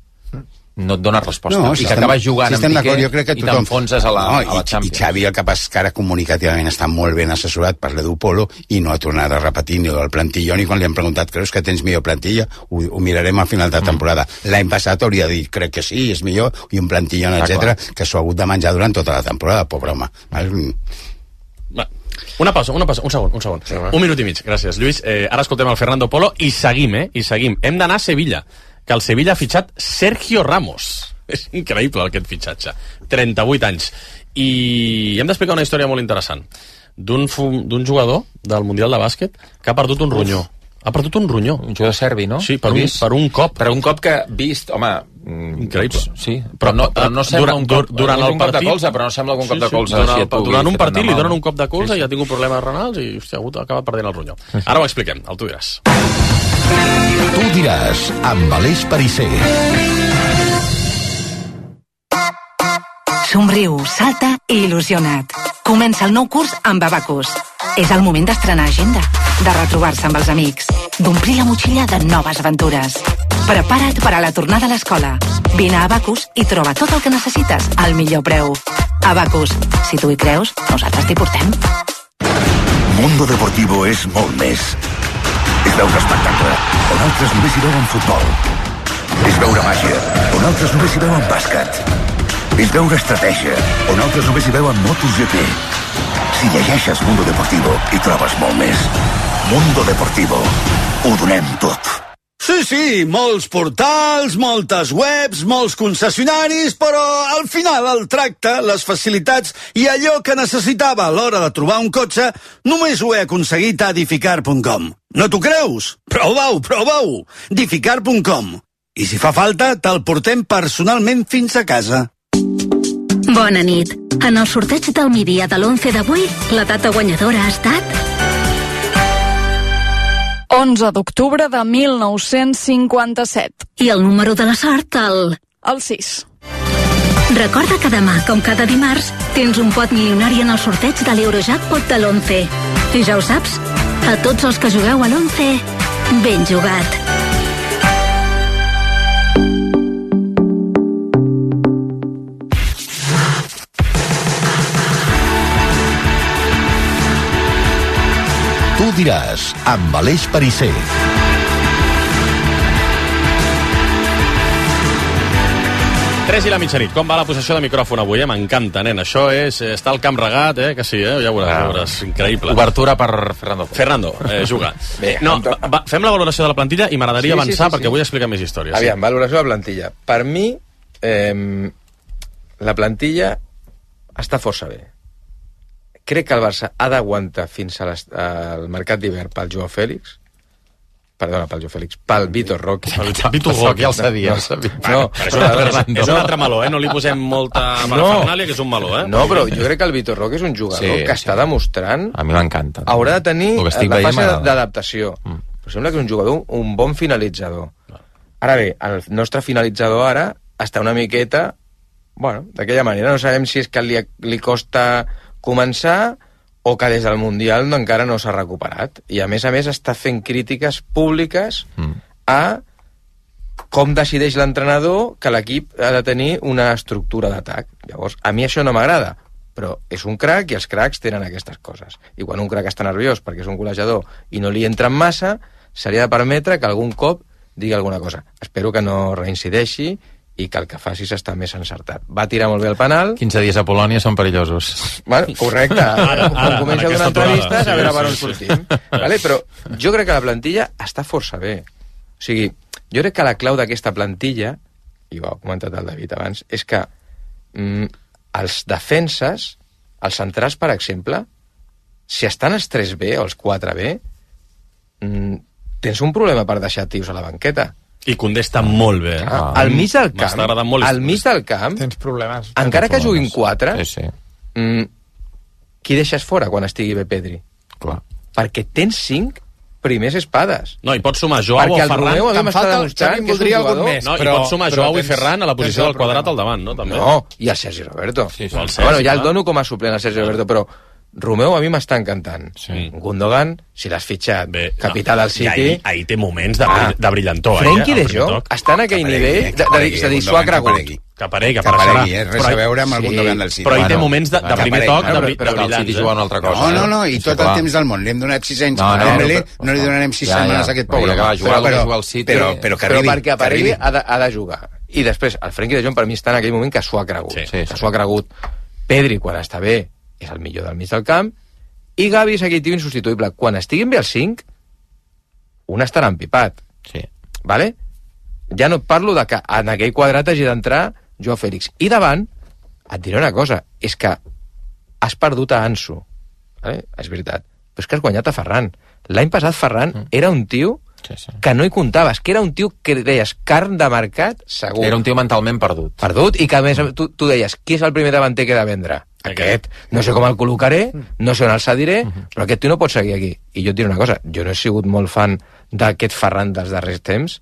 no et dona resposta. I que acabes jugant amb Piqué i t'enfonses a la Champions. I Xavi, el que passa que ara comunicativament està molt ben assessorat per l'Edu Polo i no ha tornat a repetir ni el plantilló ni quan li han preguntat, creus que tens millor plantilla? Ho mirarem a final de temporada. L'any passat hauria de dir, crec que sí, és millor, i un plantilló, etc, que s'ho ha hagut de menjar durant tota la temporada, pobre home. Una pausa, un segon. Sí, un minut i mig, gràcies, Lluís. Ara escoltem el Fernando Polo i seguim. Hem d'anar a Sevilla, que el Sevilla ha fitxat Sergio Ramos. És increïble aquest fitxatge. 38 anys. I hem d'explicar una història molt interessant d'un jugador del Mundial de Bàsquet que ha perdut un ronyó. Ha perdut un ronyó. Un jugador serbi, no? Sí, per un cop. Per un cop que vist, home... Increïble. Sí, però no sembla un cop de colze, però no sembla un cop de colze. Durant un partit li donen un cop de colze i ha tingut problemes renals i ha acabat perdent el ronyó. Ara ho expliquem, el Tu diràs. Tu diràs, amb Aleix Perisser. Somriu, salta i il·lusiona't. Comença el nou curs amb Abacus. És el moment d'estrenar agenda, de retrobar-se amb els amics, d'omplir la motxilla de noves aventures. Prepara't per a la tornada a l'escola. Vine a Abacus i troba tot el que necessites al millor preu. Abacus, si tu hi creus, nosaltres t'hi portem. Mundo Deportivo és molt més. És veure espectacle, on altres només hi veuen futbol. És veure màgia, on altres només hi veuen bàsquet. És veure estratègia, on altres només hi veuen MotoGP. Si llegeixes Mundo Deportivo, hi trobes molt més. Mundo Deportivo. Ho donem tot. Sí, molts portals, moltes webs, molts concessionaris, però al final el tracte, les facilitats i allò que necessitava a l'hora de trobar un cotxe només ho he aconseguit a Dificar.com. No t'ho creus? Prova-ho! Dificar.com. I si fa falta, te'l portem personalment fins a casa. Bona nit. En el sorteig del migdia de l'11 d'avui, la data guanyadora ha estat... 11 d'octubre de 1957. I el número de la sort, el 6. Recorda que demà, com cada dimarts, tens un pot milionari en el sorteig de l'Eurojackpot de l'11. I ja ho saps, a tots els que jugueu a l'11, ben jugat. Tu diràs, amb Aleix Perisser. Tres i la mitjanit. Com va la possessió de micròfon avui? M'encanta, nen. Això és... Està el camp regat, que sí, ja veuràs. Increïble. Obertura per Fernando. Fernando, juga. Bé, no, fem la valoració de la plantilla i m'agradaria avançar perquè vull explicar més històries. Aviam, valoració de la plantilla. Per mi, la plantilla està força bé. Crec que el Barça ha d'aguantar fins al mercat d'hivern pel Joao Fèlix. Perdona, pel Joao Fèlix. Pel Vitor Roque. El Vitor Roque, ja el sabia. No, és un altre meló, No li posem molta parafernàlia, que és un meló, No, però jo crec que el Vitor Roque és un jugador que està demostrant... A mi m'encanta. Haurà de tenir la fase d'adaptació. Però sembla que és un jugador, un bon finalitzador. Ara bé, el nostre finalitzador ara està una miqueta... Bueno, d'aquella manera. No sabem si és que li costa començar o que des del Mundial encara no s'ha recuperat. I a més està fent crítiques públiques a com decideix l'entrenador que l'equip ha de tenir una estructura d'atac. Llavors, a mi això no m'agrada, però és un crac i els cracs tenen aquestes coses. I quan un crac està nerviós perquè és un golejador i no li entra en massa, se li ha de permetre que algun cop digui alguna cosa. Espero que no reincideixi i que el que facis està més encertat. Va tirar molt bé el penal. 15 dies a Polònia són perillosos. Bueno, correcte. Quan comença una entrevista, a veure per on sortim. Vale? Però jo crec que la plantilla està força bé. O sigui, jo crec que la clau d'aquesta plantilla, i ho ha comentat el David abans, és que els defenses, els centrals, per exemple, si estan els 3B o els 4B, tens un problema per deixar tios a la banqueta. I Koundé està molt bé. Al mig del camp, tens problemes. Encara que juguin 4, qui deixes fora quan estigui bé Pedri? Clar. Perquè tens 5 primers espades. No, i pots sumar Joao o Ferran. Romeu a mi m'està demostrant que és un jugador. No, i pots sumar Joao i Ferran a la posició del Quadrat al davant, no? També. No, i el Sergi Roberto. Sí, bueno, ja el dono com a suplent al Sergi Roberto, però Romeu a mi m'està encantant. Gundogan, si l'has fitxat, capità del City... I ahir té moments de brillantor. Frenkie de Jong està en aquell nivell de dir, s'ho ha cregut. Que aparegui, res a veure amb el Gundogan del City. Però hi té moments de primer toc de brillants. El City juga una altra cosa. No, i tot el temps del món. Li hem donat 6 anys a Dembélé, no li donarem 6 setmanes a aquest pobre. Però perquè aparegui ha de jugar. I després, el Frenkie de Jong per mi està en aquell moment que s'ho ha cregut. Que s'ho ha cregut. Pedri, quan està bé, és el millor del mig del camp, i Gavi és aquell tio insubstituïble. Quan estiguin bé els 5, un estarà empipat. Vale? Ja no et parlo de que en aquell quadrat hagi d'entrar Joao Félix. I davant, et diré una cosa, és que has perdut a Ansu. Vale? És veritat. Però és que has guanyat a Ferran. L'any passat Ferran era un tio que no hi comptaves, que era un tio que deies carn de mercat segur. Era un tio mentalment perdut. I que a més tu deies, qui és el primer davanter que he de vendre? Aquest. No sé com el col·locaré, no sé on el cediré, però aquest tio no pot seguir aquí. I jo et diré una cosa, jo no he sigut molt fan d'aquest Ferran dels darrers temps,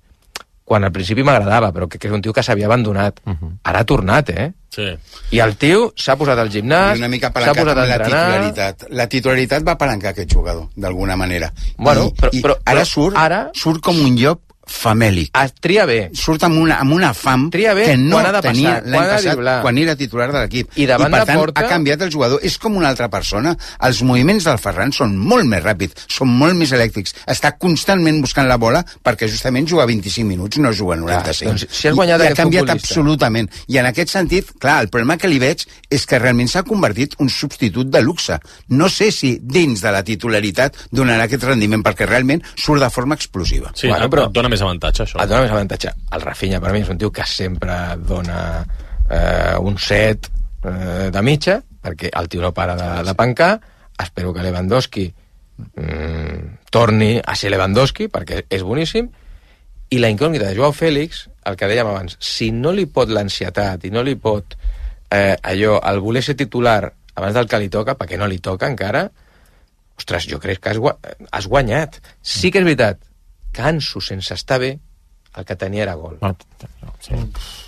quan al principi m'agradava, però que és un tio que s'havia abandonat. Ara ha tornat, Sí. I el tio s'ha posat al gimnàs, una mica s'ha posat a entrenar... La titularitat va apalancar aquest jugador, d'alguna manera. Bueno, però ara surt com un llop famèlic. Tria bé. Surt amb una fam que no tenia l'any passat quan era titular de l'equip. I per tant ha canviat el jugador. És com una altra persona. Els moviments del Ferran són molt més ràpids, són molt més elèctrics. Està constantment buscant la bola perquè justament juga 25 minuts, no juga 95. Doncs, si has guanyat I ha canviat absolutament. I en aquest sentit, clar, el problema que li veig és que realment s'ha convertit un substitut de luxe. No sé si dins de la titularitat donarà aquest rendiment, perquè realment surt de forma explosiva. Sí, però dona més avantatge, això. Et dona més avantatge. El Rafinha, per mi, és un tio que sempre dona un 7 de mitja, perquè el tio no para de pencar. Espero que Lewandowski torni a ser Lewandowski, perquè és boníssim. I la incògnita de Joao Félix, el que dèiem abans, si no li pot l'ansietat i no li pot el voler ser titular abans del que li toca, perquè no li toca encara, ostres, jo crec que has guanyat. Sí que és veritat que Ansu, sense estar bé, el que tenia era gol.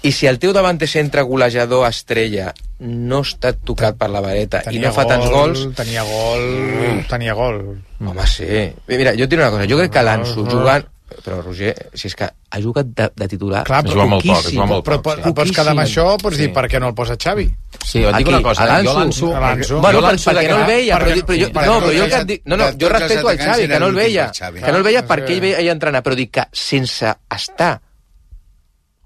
I si el teu davanter centre golejador estrella no està tocat per la vareta i no fa tants gols... Tenia gol. Home, sí. Mira, jo et diré una cosa, jo crec que l'Ansu jugant... Però, Roger, si és que ha jugat de titular... Clar, però pots quedar amb això, pots dir, per què no el posa Xavi? Sí, et dic una cosa, jo l'Ansu... Bueno, perquè no el veia, jo respeto al Xavi, que no el veia perquè ell veia entrenar, però dic que sense estar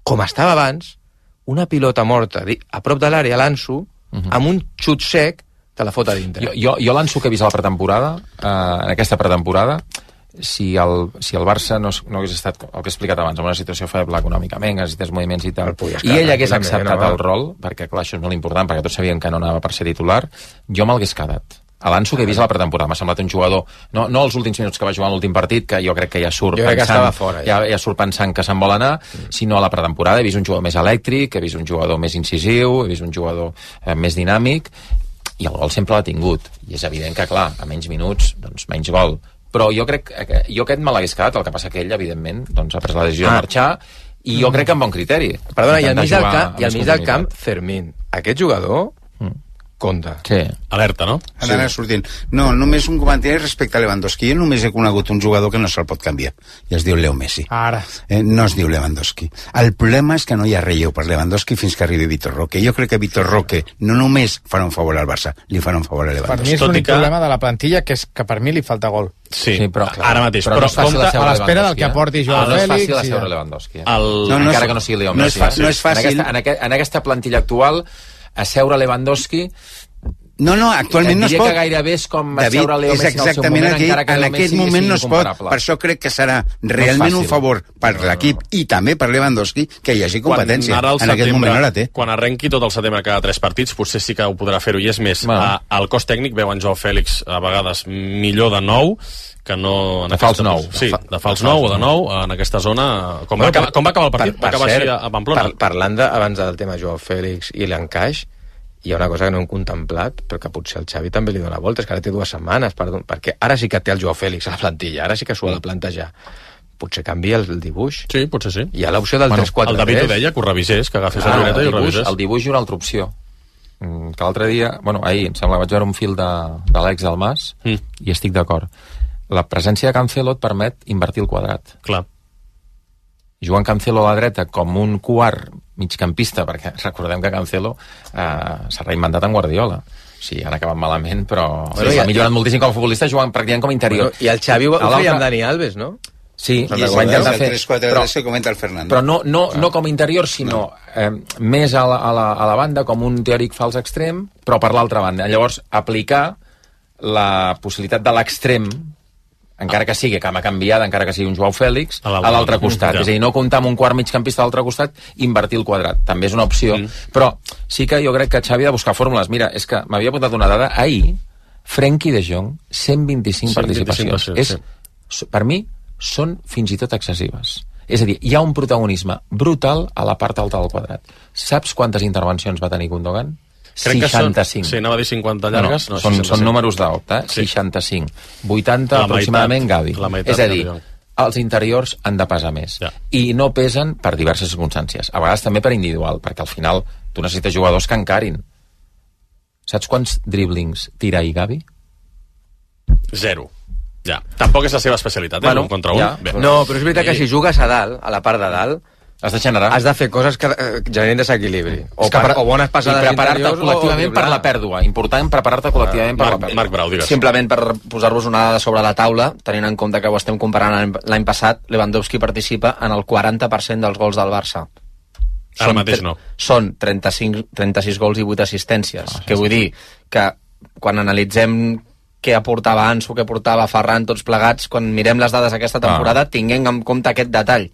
com estava abans, una pilota morta a prop de l'àrea, l'Ansu, amb un xut sec, te la fot a dintre. Jo l'Ansu que he vist a la pretemporada, en aquesta pretemporada, si el Barça no hagués estat, el que he explicat abans, en una situació feble econòmicament, necessités moviments i tal, i ell hagués acceptat el rol, perquè clar, això és molt important, perquè tots sabien que no anava per ser titular, jo me'l quedat. A l'Ansu que he vist a la pretemporada m'ha semblat un jugador, no els últims minuts que va jugar en l'últim partit, que jo crec que ja surt pensant que se'n vol anar, sinó a la pretemporada he vist un jugador més elèctric, he vist un jugador més incisiu, he vist un jugador més dinàmic, i el gol sempre l'ha tingut, i és evident que clar, a menys minuts, doncs menys gol. Però jo crec que jo aquest me l'hagués quedat, el que passa que ell, evidentment, doncs, ha pres la decisió de marxar, i jo crec que amb bon criteri. Perdona, i al mig del camp, Fermín. Aquest jugador compta. Sí. Alerta, no? Han d'anar sortint. No, només un comentari respecte a Lewandowski. Jo només he conegut un jugador que no se'l pot canviar, i es diu Leo Messi. Ara. No es diu Lewandowski. El problema és que no hi ha relleu per Lewandowski fins que arribi Vitor Roque. Jo crec que Vitor Roque no només farà un favor al Barça, li farà un favor a Lewandowski. Per mi és l'únic problema de la plantilla, que és que per mi li falta gol. Sí, però ara mateix. Però no és fàcil a l'espera del que aporti Joao Félix. No és fàcil asseure Lewandowski. Encara que no sigui Leo Messi. No és fàcil. En aquesta plantilla actual, asseure Lewandowski No, actualment no es pot. Diria que gairebé és com asseure Leo Messi al seu moment, encara que en aquest moment no es pot. Per això crec que serà realment un favor per l'equip i també per Lewandowski que hi hagi competència. En aquest moment no la té. Quan arrenqui tot el setembre cada 3 partits, potser sí que ho podrà fer-ho. I és més, al cos tècnic veu en Joao Fèlix a vegades millor de nou que no... De fals nou. Sí, de fals nou o de nou en aquesta zona. Com va acabar el partit? Va acabar així a Pamplona. Parlant abans del tema Joao Fèlix i l'encaix, hi ha una cosa que no hem contemplat, però que potser el Xavi també li dona voltes, que ara té 2 setmanes, perquè ara sí que té el Joao Fèlix a la plantilla, ara sí que s'ho ha de plantejar. Potser canvia el dibuix. Sí, potser sí. Hi ha l'opció del 3-4-3. El David ho deia, que ho revisés, que agafés la llibreta i ho revisés. El dibuix i una altra opció. Que l'altre dia, ahir, em sembla, vaig veure un fil de l'Àlex Dalmas i estic d'acord. La presència de Cancelo et permet invertir el quadrat. Clar. Joan Cancelo a la dreta com un quart migcampista, perquè recordem que Cancelo s'ha reinventat en Guardiola. Sí, han acabat malament, però s'ha millorat moltíssim com a futbolista, jugant pràcticament com a interior. I el Xavi ho feia amb Dani Alves, no? Sí, i ho va intentar fer. El 3-4-3 que comenta el Fernando. Però no com a interior, sinó més a la banda, com un teòric fals extrem, però per l'altra banda. Llavors, aplicar la possibilitat de l'extrem, encara que sigui, que m'ha canviat, encara que sigui un Joao Fèlix, a l'altre costat. És a dir, no comptar amb un quart migcampista a l'altre costat, invertir el quadrat. També és una opció. Però sí que jo crec que Xavi ha de buscar fórmules. Mira, és que m'havia apuntat una dada. Ahir, Frenkie de Jong, 125 participacions. Per mi, són fins i tot excessives. És a dir, hi ha un protagonisme brutal a la part alta del quadrat. Saps quantes intervencions va tenir Gundogan? 65. Sí, anava a dir 50 llargues. No, són números d'opta, 65. 80 aproximadament Gavi. És a dir, els interiors han de pesar més. I no pesen per diverses circumstàncies. A vegades també per individual, perquè al final tu necessites jugadors que encarin. Saps quants driblings tira i Gavi? 0. Ja. Tampoc és la seva especialitat, un contra un. No, però és veritat que si jugues a dalt, a la part de dalt, has de generar. Has de fer coses que generin desequilibri. O bones passades i preparar-te col·lectivament per la pèrdua. Important preparar-te col·lectivament per la pèrdua. Marc Brau, digues. Simplement per posar-vos una dada sobre la taula, tenint en compte que ho estem comparant l'any passat, Lewandowski participa en el 40% dels gols del Barça. Ara mateix no. Són 36 gols i 8 assistències. Que vull dir que quan analitzem què aportava Ansu, què aportava Ferran, tots plegats, quan mirem les dades d'aquesta temporada, tinguem en compte aquest detall.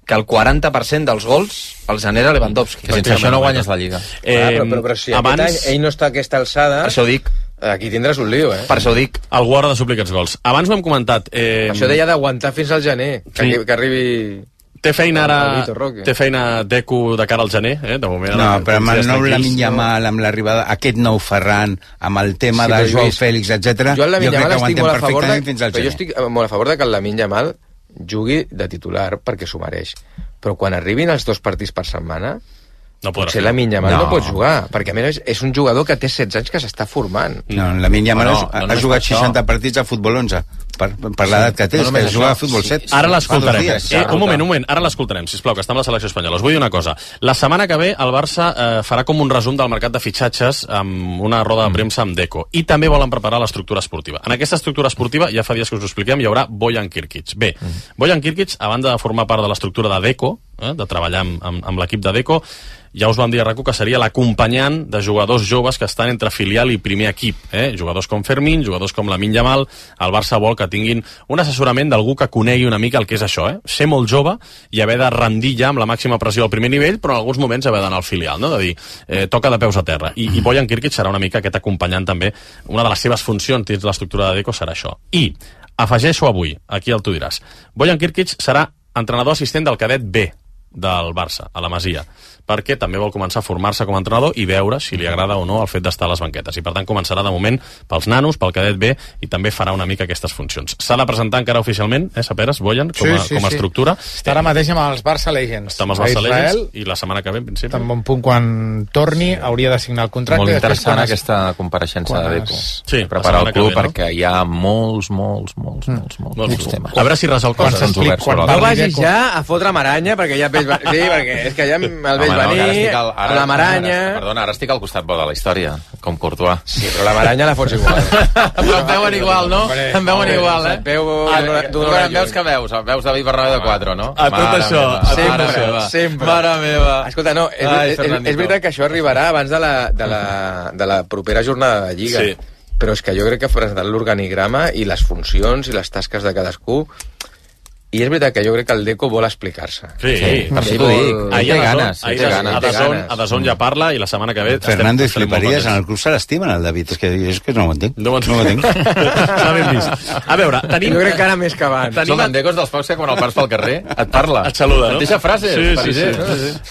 Que el 40% dels gols els genera Lewandowski. Sense això no guanyes la Lliga. Però si abans ell no està a aquesta alçada... Per això ho dic. Aquí tindràs un lío, Per això ho dic. Algú haurà de suplir aquests gols. Abans ho hem comentat. Això deia d'aguantar fins al gener, que arribi... Té feina ara... Té feina Deco de cara al gener, de moment. No, però amb el nou Lamine Yamal, amb l'arribada, aquest nou Ferran, amb el tema de Joao Fèlix, etc. Jo crec que aguantem perfectament fins al gener. Jo estic molt a favor de que el Lamine Yamal jugui de titular perquè s'ho mereix. Però quan arribin els 2 partits per setmana, potser Lamine Yamal no pot jugar, perquè a més és un jugador que té 16 anys que s'està formant. No, Lamine Yamal ha jugat 60 partits a futbol 11, per l'edat que té, que juga a futbol 7. Ara l'escoltarem. Un moment, ara l'escoltarem, sisplau, que està amb la selecció espanyola. Us vull dir una cosa. La setmana que ve el Barça farà com un resum del mercat de fitxatges amb una roda de premsa amb Deco. I també volen preparar l'estructura esportiva. En aquesta estructura esportiva, ja fa dies que us ho expliquem, hi haurà Bojan Kirkic. Bé, Bojan Kirkic, a banda de formar part de l'estructura de Deco, de treballar amb l'equip de Deco, ja us vam dir a RAC1 que seria l'acompanyant de jugadors joves que estan entre filial i primer equip. Jugadors com Fermín, jugadors com Lamine Yamal. El Barça vol que tinguin un assessorament d'algú que conegui una mica el que és això. Ser molt jove i haver de rendir ja amb la màxima pressió al primer nivell, però en alguns moments haver d'anar al filial, no? De dir, toca de peus a terra. I Bojan Kirkic serà una mica aquest acompanyant també. Una de les seves funcions dins l'estructura de Deco serà això. I afegeixo avui, aquí el tu diràs, Bojan Kirkic serà entrenador assistent del cadet B del Barça, a la Masia, perquè també vol començar a formar-se com a entrenador i veure si li agrada o no el fet d'estar a les banquetes. I per tant començarà de moment pels nanos, pel cadet B, i també farà una mica aquestes funcions. S'ha de presentar encara oficialment, Saperes, Bojan, com a estructura. Està ara mateix amb els Barça Legends. Està amb els Barça Legends i la setmana que ve, en principi. Tan bon punt quan torni hauria de signar el contracte. Molt interessant aquesta compareixença de Deco. Sí, preparar el club perquè hi ha molts temes. A veure si resol coses. No vagis ja a fotre maranya perquè ja sí, perquè és que ja el veig venir, la Maranya... Perdona, ara estic al costat bo de la història, com Courtois. Sí, però la Maranya la fots igual. Però em veuen igual, no? Em veuen igual, eh? Veus que veus? Veus David Bernabéu de 4, no? A tot això. Sempre. Mare meva. Escolta, no, és veritat que això arribarà abans de la propera jornada de Lliga. Sí. Però és que jo crec que presentant l'organigrama i les funcions i les tasques de cadascú, i és veritat que jo crec que el Deco vol explicar-se. Sí, per si t'ho dic. Ahir té ganes. A Dazón ja parla i la setmana que ve... Fernando i fliparies, en el club se l'estimen el David, és que no ho entenc. No ho entenc. S'ha ben vist. A veure, tenim... Jo crec que ara més que abans. El Deco és dels pocs que quan el pars pel carrer et parla. Et saluda, no? Et deixa frases. Sí.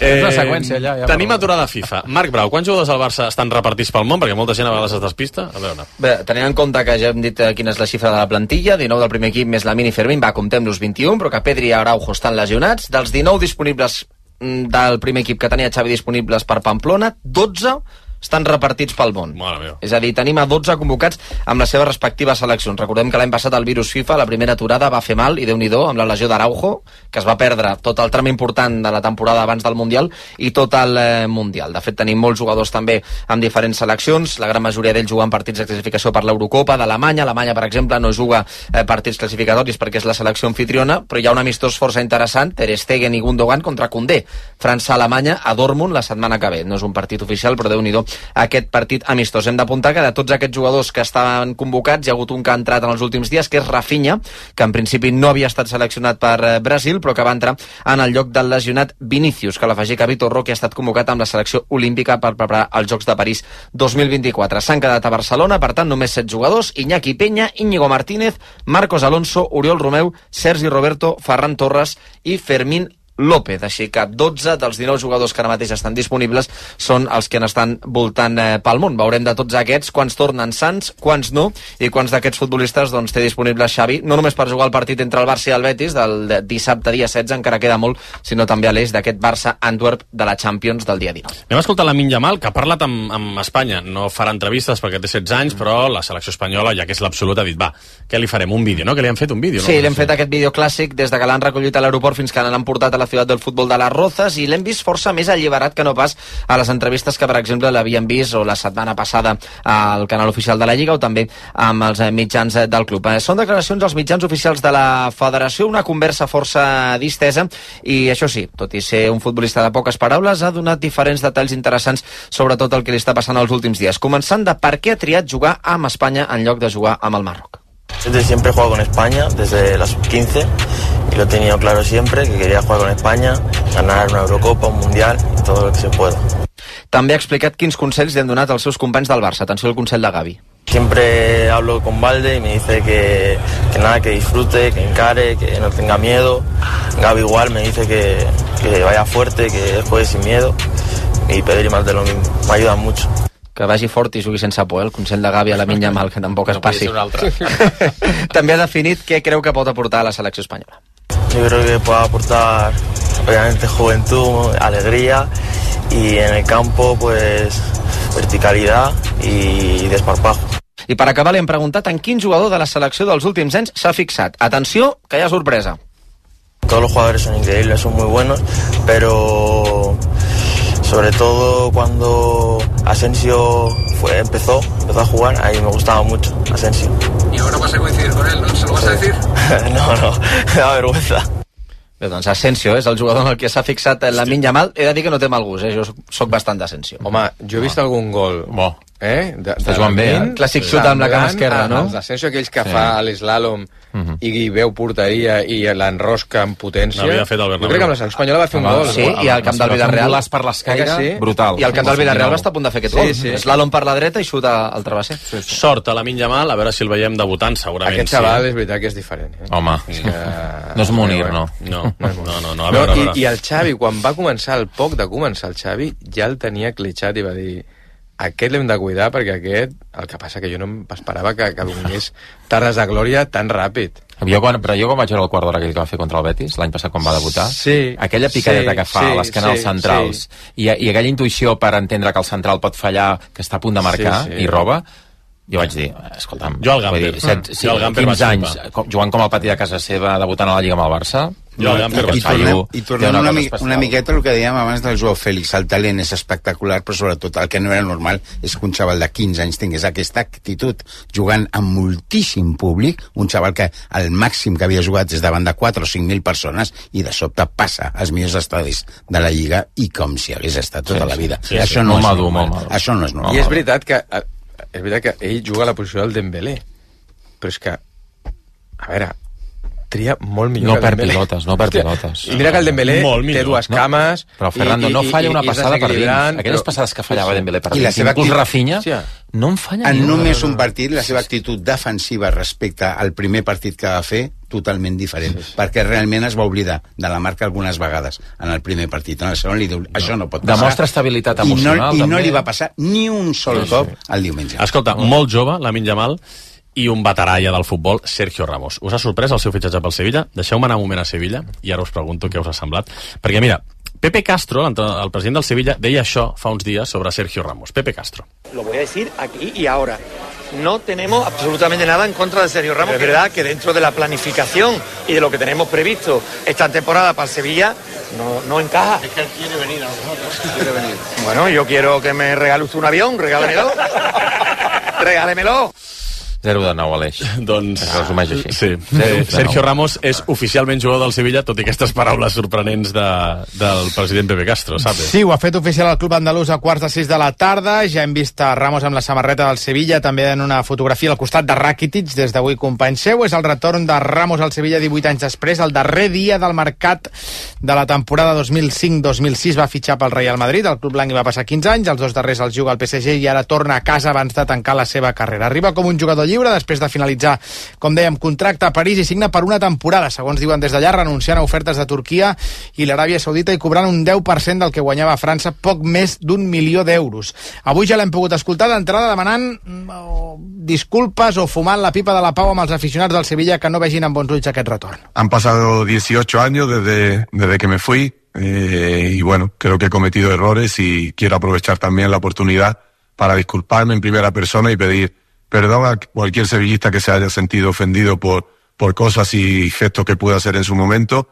És una seqüència allà. Tenim aturada FIFA. Marc Brau, quants jugadors del Barça estan repartits pel món? Perquè molta gent a vegades es despista. A veure. Bé, tenint en compte que ja hem dit quina és la xifra de la plantilla, 19 del primer equip més la Mini Fermín, comptem-los 21, però que Pedri i Araujo estan lesionats. Dels 19 disponibles del primer equip que tenia Xavi disponibles per Pamplona, 12 estan repartits pel món. És a dir, tenim a 12 convocats amb les seves respectives seleccions. Recordem que l'any passat el virus FIFA, la primera aturada, va fer mal, i Déu-n'hi-do, amb la lesió d'Araujo, que es va perdre tot el tram important de la temporada abans del Mundial i tot el Mundial. De fet, tenim molts jugadors també amb diferents seleccions, la gran majoria d'ells juguen partits de classificació per l'Eurocopa d'Alemanya. Alemanya, per exemple, no juga partits classificatoris perquè és la selecció anfitriona, però hi ha un amistós força interessant, Ter Stegen i Gundogan contra Koundé. França-Alemanya a Dortmund la setmana que ve. No és un partit oficial, però Déu-n'hi-do aquest partit amistós. Hem d'apuntar que de tots aquests jugadors que estaven convocats hi ha hagut un que ha entrat en els últims dies, que és Rafinha, que en principi no havia estat seleccionat per Brasil, però que va entrar en el lloc del lesionat Vinícius, que l'afegir que Vitor Roque ha estat convocat amb la selecció olímpica per preparar els Jocs de París 2024. S'han quedat a Barcelona, per tant, només 7 jugadors: Iñaki Peña, Íñigo Martínez, Marcos Alonso, Oriol Romeu, Sergi Roberto, Ferran Torres i Fermín López. Així que 12 dels 19 jugadors que ara mateix estan disponibles són els que n'estan voltant pel món. Veurem de tots aquests quants tornen sants, quants no, i quants d'aquests futbolistes té disponibles Xavi, no només per jugar el partit entre el Barça i el Betis del dissabte dia 16, encara queda molt, sinó també a l'eix d'aquest Barça-Antwerp de la Champions del dia 19. Anem a escoltar Lamine Yamal, que ha parlat amb Espanya. No farà entrevistes perquè té 16 anys, però la selecció espanyola, ja que és l'absolut, ha dit, va, què li farem? Un vídeo, no? Que li han fet un vídeo, no? Sí, li hem fet aquest vídeo clàssic des de que l'han recollit a l'aeroport fins que l'han portat a la ciutat del futbol de les Rozas, i l'hem vist força més alliberat que no pas a les entrevistes que, per exemple, l'havien vist o la setmana passada al canal oficial de la Lliga o també amb els mitjans del club. Són declaracions als mitjans oficials de la federació, una conversa força distesa, i això sí, tot i ser un futbolista de poques paraules, ha donat diferents detalls interessants sobre tot el que li està passant els últims dies, començant de per què ha triat jugar amb Espanya en lloc de jugar amb el Marroc. Desde siempre he jugado con España, desde la sub-15, y lo he tenido claro siempre, que quería jugar con España, ganar una Eurocopa, un Mundial, y todo lo que se pueda. També ha explicat quins consells li han donat als seus companys del Barça. Atenció al consell de Gavi. Siempre hablo con Valde y me dice que nada, que disfrute, que encare, que no tenga miedo. Gavi igual me dice que vaya fuerte, que juegue sin miedo, y Pedri más de lo mismo. Me ayudan mucho. Que vagi fort i jugui sense por, el consell de Gavi a Lamine Yamal, que tampoc es passi. També ha definit què creu que pot aportar a la selecció espanyola. Yo creo que puede aportar, obviamente, juventud, alegría, y en el campo, pues, verticalidad y desparpajo. I per acabar li hem preguntat en quin jugador de la selecció dels últims anys s'ha fixat. Atenció, que hi ha sorpresa. Todos los jugadores son increíbles, son muy buenos, pero sobre todo cuando Asensio empezó a jugar, ahí me gustaba mucho Asensio. Y ahora vas a coincidir con él, ¿no? ¿Se lo vas a decir? No, me da vergüenza. Bé, doncs Asensio és el jugador en el que s'ha fixat Lamine Yamal. He de dir que no té mal gust, jo soc bastant d'Asensio. Home, jo he vist algun gol. Està jugant bé, clàssic xut amb la cama esquerra, no? Els d'Asensio, aquells que fa l'eslàlom i veu porteria i l'enrosca amb potència. N'havia fet el Bernabéu. Jo crec que amb la selecció espanyola va fer un gol. Sí, i al camp del Villarreal. Un per l'escaire, brutal. I al camp del Villarreal va estar a punt de fer aquest gol. Eslàlom per la dreta i xut al travesser. Sort a Lamine Yamal, a veure si el veiem debutant, segurament. Aquest xaval és veritat que és diferent. Home, no és Munir, no. No, a veure. I el Xavi, quan va començar, al poc de començar el Xavi, ja el tenia cletxat i va dir: aquest l'hem de cuidar perquè aquest... El que passa que jo no m'esperava que vingués tardes de glòria tan ràpid. Però jo quan vaig veure el quart d'hora aquell que va fer contra el Betis, l'any passat quan va debutar, aquella picadeta que fa a les canals centrals i aquella intuïció per entendre que el central pot fallar, que està a punt de marcar i roba, jo vaig dir, escolta'm, jo al Gamper, 15 anys, jugant com al pati de casa seva, debutant a la Lliga amb el Barça, I tornem una miqueta el que dèiem abans del Joao Félix. El talent és espectacular, però sobretot el que no era normal és que un xaval de 15 anys tingués aquesta actitud, jugant amb moltíssim públic, un xaval que el màxim que havia jugat és davant de 4 o 5.000 persones i de sobte passa als millors estadis de la Lliga i com si hagués estat tota la vida. Això no és normal. I és veritat que ell juga a la posició del Dembélé, però és que, a veure, tria molt millor que el Dembélé. No perd pilotes. I mira que el Dembélé té dues cames... Però Fernando no falla una passada per dins. Aquelles passades que fallava Dembélé per dins, inclús Rafinha, no en falla en només un partit, la seva actitud defensiva respecte al primer partit que va fer, totalment diferent, perquè realment es va oblidar de la marca algunes vegades en el primer partit. En el segon li diu, això no pot passar. Demostra estabilitat emocional. I no li va passar ni un sol cop el diumenge. Escolta, molt jove, Lamine Yamal, i un veterà ja del futbol, Sergio Ramos. Us ha sorprès el seu fitxatge pel Sevilla? Deixeu-me anar un moment a Sevilla i ara us pregunto què us ha semblat. Perquè mira, Pepe Castro, el president del Sevilla, deia això fa uns dies sobre Sergio Ramos. Pepe Castro. Lo voy a decir aquí y ahora. No tenemos absolutamente nada en contra de Sergio Ramos. Es verdad que dentro de la planificación y de lo que tenemos previsto esta temporada para el Sevilla no encaja. Es que él quiere venir a nosotros. Quiere venir. Bueno, yo quiero que me regale usted un avión, regálemelo. Regálemelo. 0-9 a l'eix. Doncs... Resumeix així. Sí. Sergio Ramos és oficialment jugador del Sevilla, tot i aquestes paraules sorprenents del president Pepe Castro, saps? Sí, ho ha fet oficial el club andalús a 5:45 de la tarda. Ja hem vist a Ramos amb la samarreta del Sevilla, també en una fotografia al costat de Rakitic, des d'avui company seu. És el retorn de Ramos al Sevilla 18 anys després. El darrer dia del mercat de la temporada 2005-2006 va fitxar pel Real Madrid. El club blanc hi va passar 15 anys, els 2 darrers els juga al PSG i ara torna a casa abans de tancar la seva carrera. Arriba com un jugador lliure després de finalitzar, com dèiem, contracte a París i signa per una temporada, segons diuen des d'allà, renunciant a ofertes de Turquia i l'Aràbia Saudita i cobrant un 10% del que guanyava a França, poc més d'1 milió d'euros. Avui ja l'hem pogut escoltar d'entrada demanant disculpes o fumant la pipa de la pau amb els aficionats del Sevilla que no vegin amb bons ulls aquest retorn. Han pasado 18 años desde que me fui y bueno, creo que he cometido errores y quiero aprovechar también la oportunidad para disculparme en primera persona y pedir perdón a cualquier sevillista que se haya sentido ofendido por cosas y gestos que pude hacer en su momento.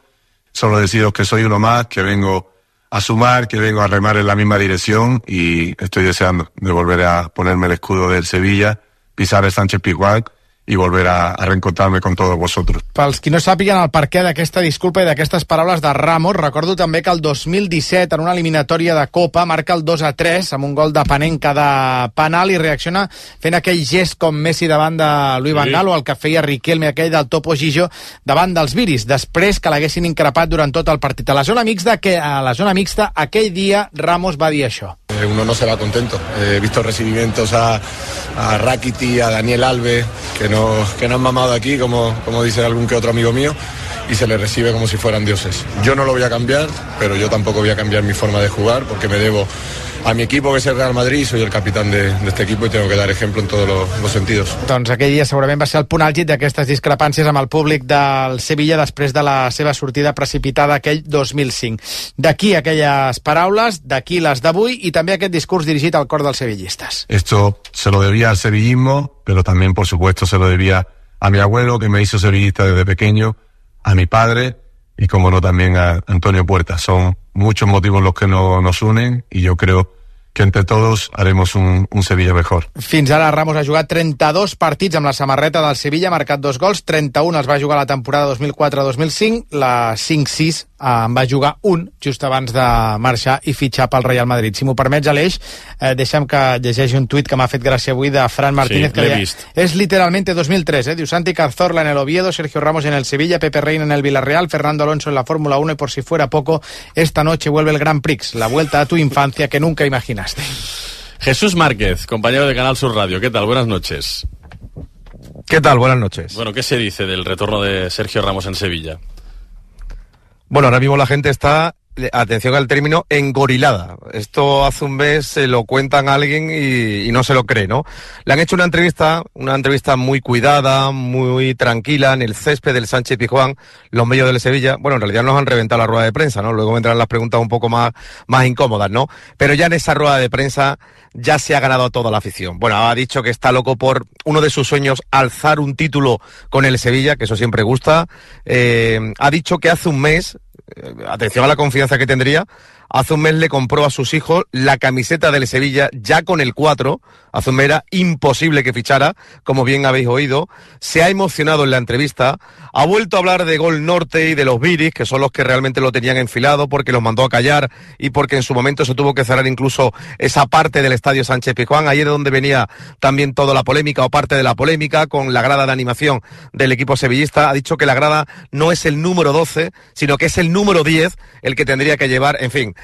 Solo deciros que soy uno más, que vengo a sumar, que vengo a remar en la misma dirección y estoy deseando de volver a ponerme el escudo del Sevilla, pisar el Sánchez-Pizjuán i volver a reencontrarme con todos vosotros. Pels qui no sàpiguen el perquè d'aquesta disculpa i d'aquestes paraules de Ramos, recordo també que el 2017, en una eliminatòria de Copa, marca el 2-3 amb un gol de Panenka de penal i reacciona fent aquell gest com Messi davant de Louis van Gaal o el que feia Riquelme, aquell del Topo Gijó davant dels Viris, després que l'haguessin increpat durant tot el partit. A la zona mixta, aquell dia Ramos va dir això. Uno no se va contento. He visto recibimientos a Rakitic, a Daniel Alves, que no han mamado aquí, como dice algún que otro amigo mío, y se les recibe como si fueran dioses. Yo no lo voy a cambiar, pero yo tampoco voy a cambiar mi forma de jugar, porque me debo a mi equipo, que es el Real Madrid, soy el capitán de este equipo y tengo que dar ejemplo en todos los sentidos. Doncs aquell dia segurament va ser el punt àlgid d'aquestes discrepàncies amb el públic del Sevilla després de la seva sortida precipitada aquell 2005. D'aquí aquelles paraules, d'aquí les d'avui i també aquest discurs dirigit al cor dels sevillistes. Esto se lo debía al sevillismo, pero también, por supuesto, se lo debía a mi abuelo, que me hizo sevillista desde pequeño, a mi padre y, como no, también a Antonio Puerta. Son muchos motivos los que nos unen y yo creo que entre todos haremos un Sevilla mejor. Fins ara Ramos ha jugat 32 partits amb la samarreta del Sevilla, ha marcat 2 gols, 31 els va jugar la temporada 2004-2005, la 5-6 en va jugar un just abans de marxar i fitxar pel Real Madrid. Si m'ho permets, Aleix, deixa'm que llegeixi un tuit que m'ha fet gràcia avui de Fran Martínez, sí, que deia, es literalmente 2003, diu Santi Cazorla en el Oviedo, Sergio Ramos en el Sevilla, Pepe Reina en el Villarreal, Fernando Alonso en la Fórmula 1 y por si fuera poco, esta noche vuelve el Grand Prix, la vuelta a tu infancia que nunca imaginaste. Jesús Márquez, compañero de Canal Sur Radio. ¿Qué tal? Buenas noches. ¿Qué tal? Buenas noches. Bueno, ¿qué se dice del retorno de Sergio Ramos en Sevilla? Bueno, ahora mismo la gente está atención al término, engorilada. Esto hace un mes se lo cuentan a alguien y no se lo cree, ¿no? Le han hecho una entrevista muy cuidada, muy tranquila, en el césped del Sánchez Pizjuán, los medios del Sevilla. Bueno, en realidad nos han reventado la rueda de prensa, ¿no? Luego vendrán las preguntas un poco más incómodas, ¿no? Pero ya en esa rueda de prensa ya se ha ganado a toda la afición. Bueno, ha dicho que está loco por uno de sus sueños, alzar un título con el Sevilla, que eso siempre gusta. Ha dicho que hace un mes, atención a la confianza que tendría, hace un mes le compró a sus hijos la camiseta del Sevilla ya con el 4. Hace un mes era imposible que fichara, como bien habéis oído. Se ha emocionado en la entrevista. Ha vuelto a hablar de Gol Norte y de los Viris, que son los que realmente lo tenían enfilado, porque los mandó a callar y porque en su momento se tuvo que cerrar incluso esa parte del Estadio Sánchez Pizjuán. Ahí es de donde venía también toda la polémica, o parte de la polémica, con la grada de animación del equipo sevillista. Ha dicho que la grada no es el número 12, sino que es el número 10 el que tendría que llevar. En fin,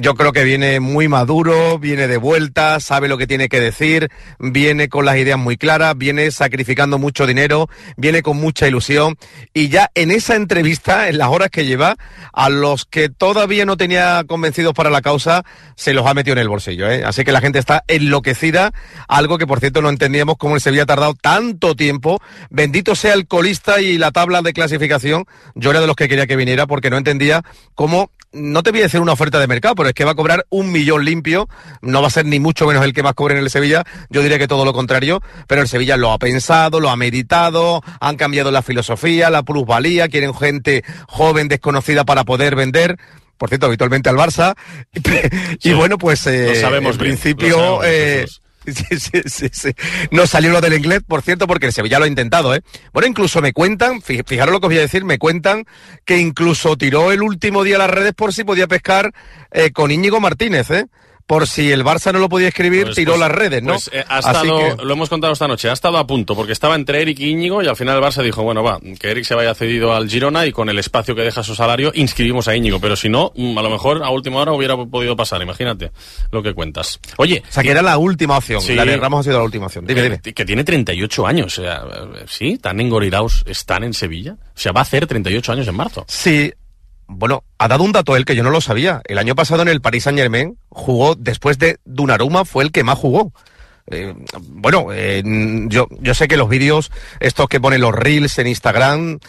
yo creo que viene muy maduro, viene de vuelta, sabe lo que tiene que decir, viene con las ideas muy claras, viene sacrificando mucho dinero, viene con mucha ilusión, y ya en esa entrevista, en las horas que lleva, a los que todavía no tenía convencidos para la causa, se los ha metido en el bolsillo, ¿eh? Así que la gente está enloquecida, algo que por cierto no entendíamos cómo el Sevilla ha tardado tanto tiempo. Bendito sea el colista y la tabla de clasificación. Yo era de los que quería que viniera, porque no entendía cómo, no te voy a decir una oferta de mercado, pero es que va a cobrar 1 millón limpio, no va a ser ni mucho menos el que más cobre en el Sevilla. Yo diría que todo lo contrario, pero el Sevilla lo ha pensado, lo ha meditado, han cambiado la filosofía, la plusvalía, quieren gente joven, desconocida para poder vender. Por cierto, habitualmente al Barça. Y sí, bueno, pues en principio... Sí. No salió lo del inglés, por cierto, porque el Sevilla lo ha intentado, ¿eh? Bueno, incluso me cuentan, fijaros lo que os voy a decir, me cuentan que incluso tiró el último día a las redes por si podía pescar con Íñigo Martínez, ¿eh? Por si el Barça no lo podía escribir, tiró las redes, ¿no? Pues lo hemos contado esta noche, ha estado a punto, porque estaba entre Eric y Íñigo, y al final el Barça dijo, bueno, va, que Eric se vaya cedido al Girona, y con el espacio que deja su salario, inscribimos a Íñigo, pero si no, a lo mejor a última hora hubiera podido pasar, imagínate lo que cuentas. Oye... O sea, que era la última opción, sí, la de Ramos ha sido la última opción. Dime. Que tiene 38 años, o sea, ¿sí? ¿Tan engorilados están en Sevilla? O sea, va a hacer 38 años en marzo. Sí. Bueno, ha dado un dato él que yo no lo sabía. El año pasado en el Paris Saint-Germain jugó, después de Donnarumma, fue el que más jugó. Yo sé que los vídeos, estos que ponen los reels en Instagram,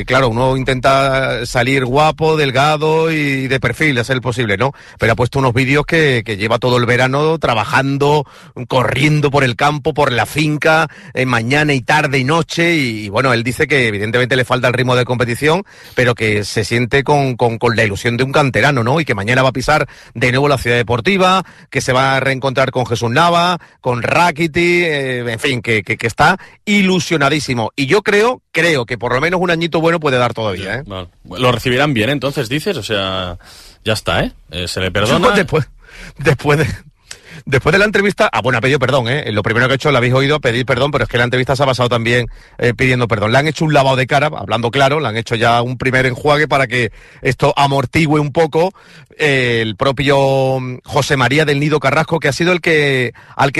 claro, uno intenta salir guapo, delgado y de perfil, es el posible, ¿no? Pero ha puesto unos vídeos que lleva todo el verano trabajando, corriendo por el campo, por la finca, mañana y tarde y noche, y bueno, él dice que evidentemente le falta el ritmo de competición, pero que se siente con la ilusión de un canterano, ¿no? Y que mañana va a pisar de nuevo la Ciudad Deportiva, que se va a reencontrar con Jesús Nava, con Rakiti, en fin, que está ilusionadísimo. Y yo creo que por lo menos un añito bueno puede dar todavía, ¿eh? Vale. Lo recibirán bien, entonces, dices, o sea, ya está, ¿eh? Se le perdona. Después de la entrevista, bueno, ha pedido perdón, ¿eh? Lo primero que ha hecho, lo habéis oído, pedir perdón, pero es que la entrevista se ha basado también pidiendo perdón. Le han hecho un lavado de cara, hablando claro, le han hecho ya un primer enjuague para que esto amortigüe un poco. El propio José María del Nido Carrasco, que ha sido al que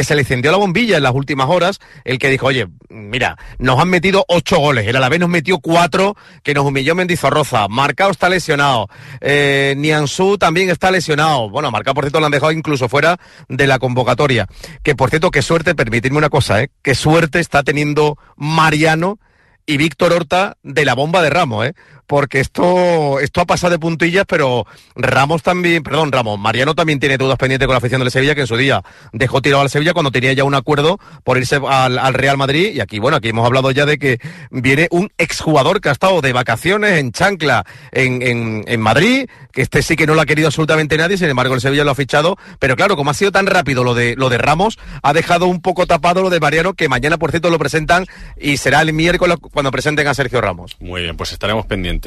se le encendió la bombilla en las últimas horas, el que dijo, oye, mira, nos han metido 8 goles, el Alavés nos metió 4, que nos humilló Mendizorroza, Marcao está lesionado, Nianzú también está lesionado, bueno, Marcao por cierto lo han dejado incluso fuera de la convocatoria, que por cierto, qué suerte, permitidme una cosa, qué suerte está teniendo Mariano y Víctor Horta de la bomba de Ramos, porque esto ha pasado de puntillas, pero Mariano también tiene dudas pendientes con la afición del Sevilla, que en su día dejó tirado al Sevilla cuando tenía ya un acuerdo por irse al Real Madrid, y aquí hemos hablado ya de que viene un exjugador que ha estado de vacaciones en chancla en Madrid, que este sí que no lo ha querido absolutamente nadie, sin embargo el Sevilla lo ha fichado, pero claro, como ha sido tan rápido lo de Ramos, ha dejado un poco tapado lo de Mariano, que mañana por cierto lo presentan, y será el miércoles cuando presenten a Sergio Ramos. Muy bien, pues estaremos pendientes.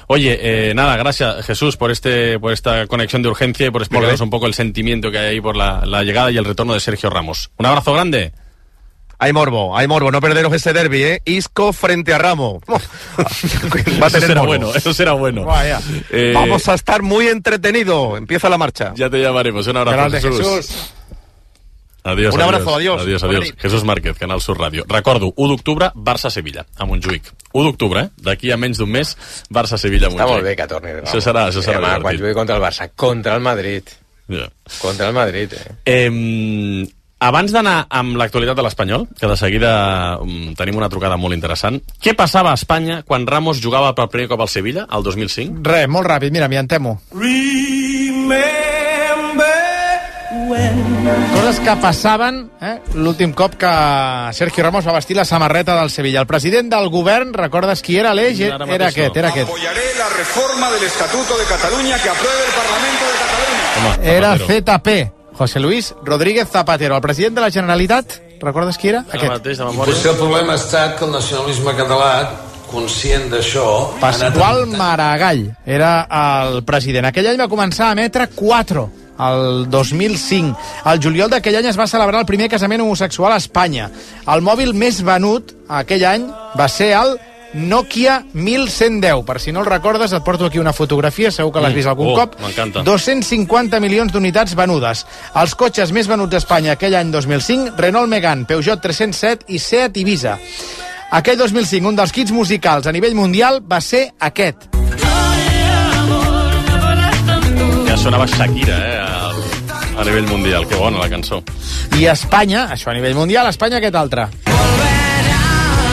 Oye, nada, gracias Jesús por esta conexión de urgencia y por explicarnos un poco el sentimiento que hay ahí por la llegada y el retorno de Sergio Ramos. Un abrazo grande. Hay morbo, no perderos ese derbi, Isco frente a Ramos. Va a tener eso será bueno. Vamos a estar muy entretenidos. Empieza la marcha. Ya te llamaremos. Un abrazo, Jesús. Adiós, Un abrazo, adiós. Adiós. Jesús Márquez, Canal Sur Ràdio. Recordo, 1 d'octubre, Barça-Sevilla, a Montjuïc. 1 d'octubre, d'aquí a menys d'un mes, Barça-Sevilla a Montjuïc. Està molt bé que torni. Això serà divertit. Quan jugui contra el Barça, contra el Madrid. Yeah. Contra el Madrid, Abans d'anar amb l'actualitat de l'Espanyol, que de seguida tenim una trucada molt interessant, què passava a Espanya quan Ramos jugava per primer cop al Sevilla, el 2005? Res, molt ràpid, mira, m'hi entemo. Coses que passaven l'últim cop que Sergio Ramos va vestir la samarreta del Sevilla. El president del govern, recordes qui era l'eix? Era aquest. Apoyaré la reforma del Estatuto de Cataluña que apruebe el Parlamento de Cataluña. Era ZP, José Luis Rodríguez Zapatero. El president de la Generalitat, recordes qui era? Aquest. Potser el problema ha estat que el nacionalisme català, conscient d'això... Pasqual Maragall era el president. Aquell any va començar a emetre 4, el 2005. Al juliol d'aquell any es va celebrar el primer casament homosexual a Espanya. El mòbil més venut aquell any va ser el Nokia 1110. Per si no el recordes, et porto aquí una fotografia, segur que l'has vist algun cop. M'encanta. 250 milions d'unitats venudes. Els cotxes més venuts d'Espanya aquell any 2005, Renault Megane, Peugeot 307 i Seat Ibiza. Aquell 2005, un dels kits musicals a nivell mundial va ser aquest. Ja sonava Shakira, a nivell mundial. Que bona la cançó. I Espanya, això a nivell mundial, Espanya aquest altre.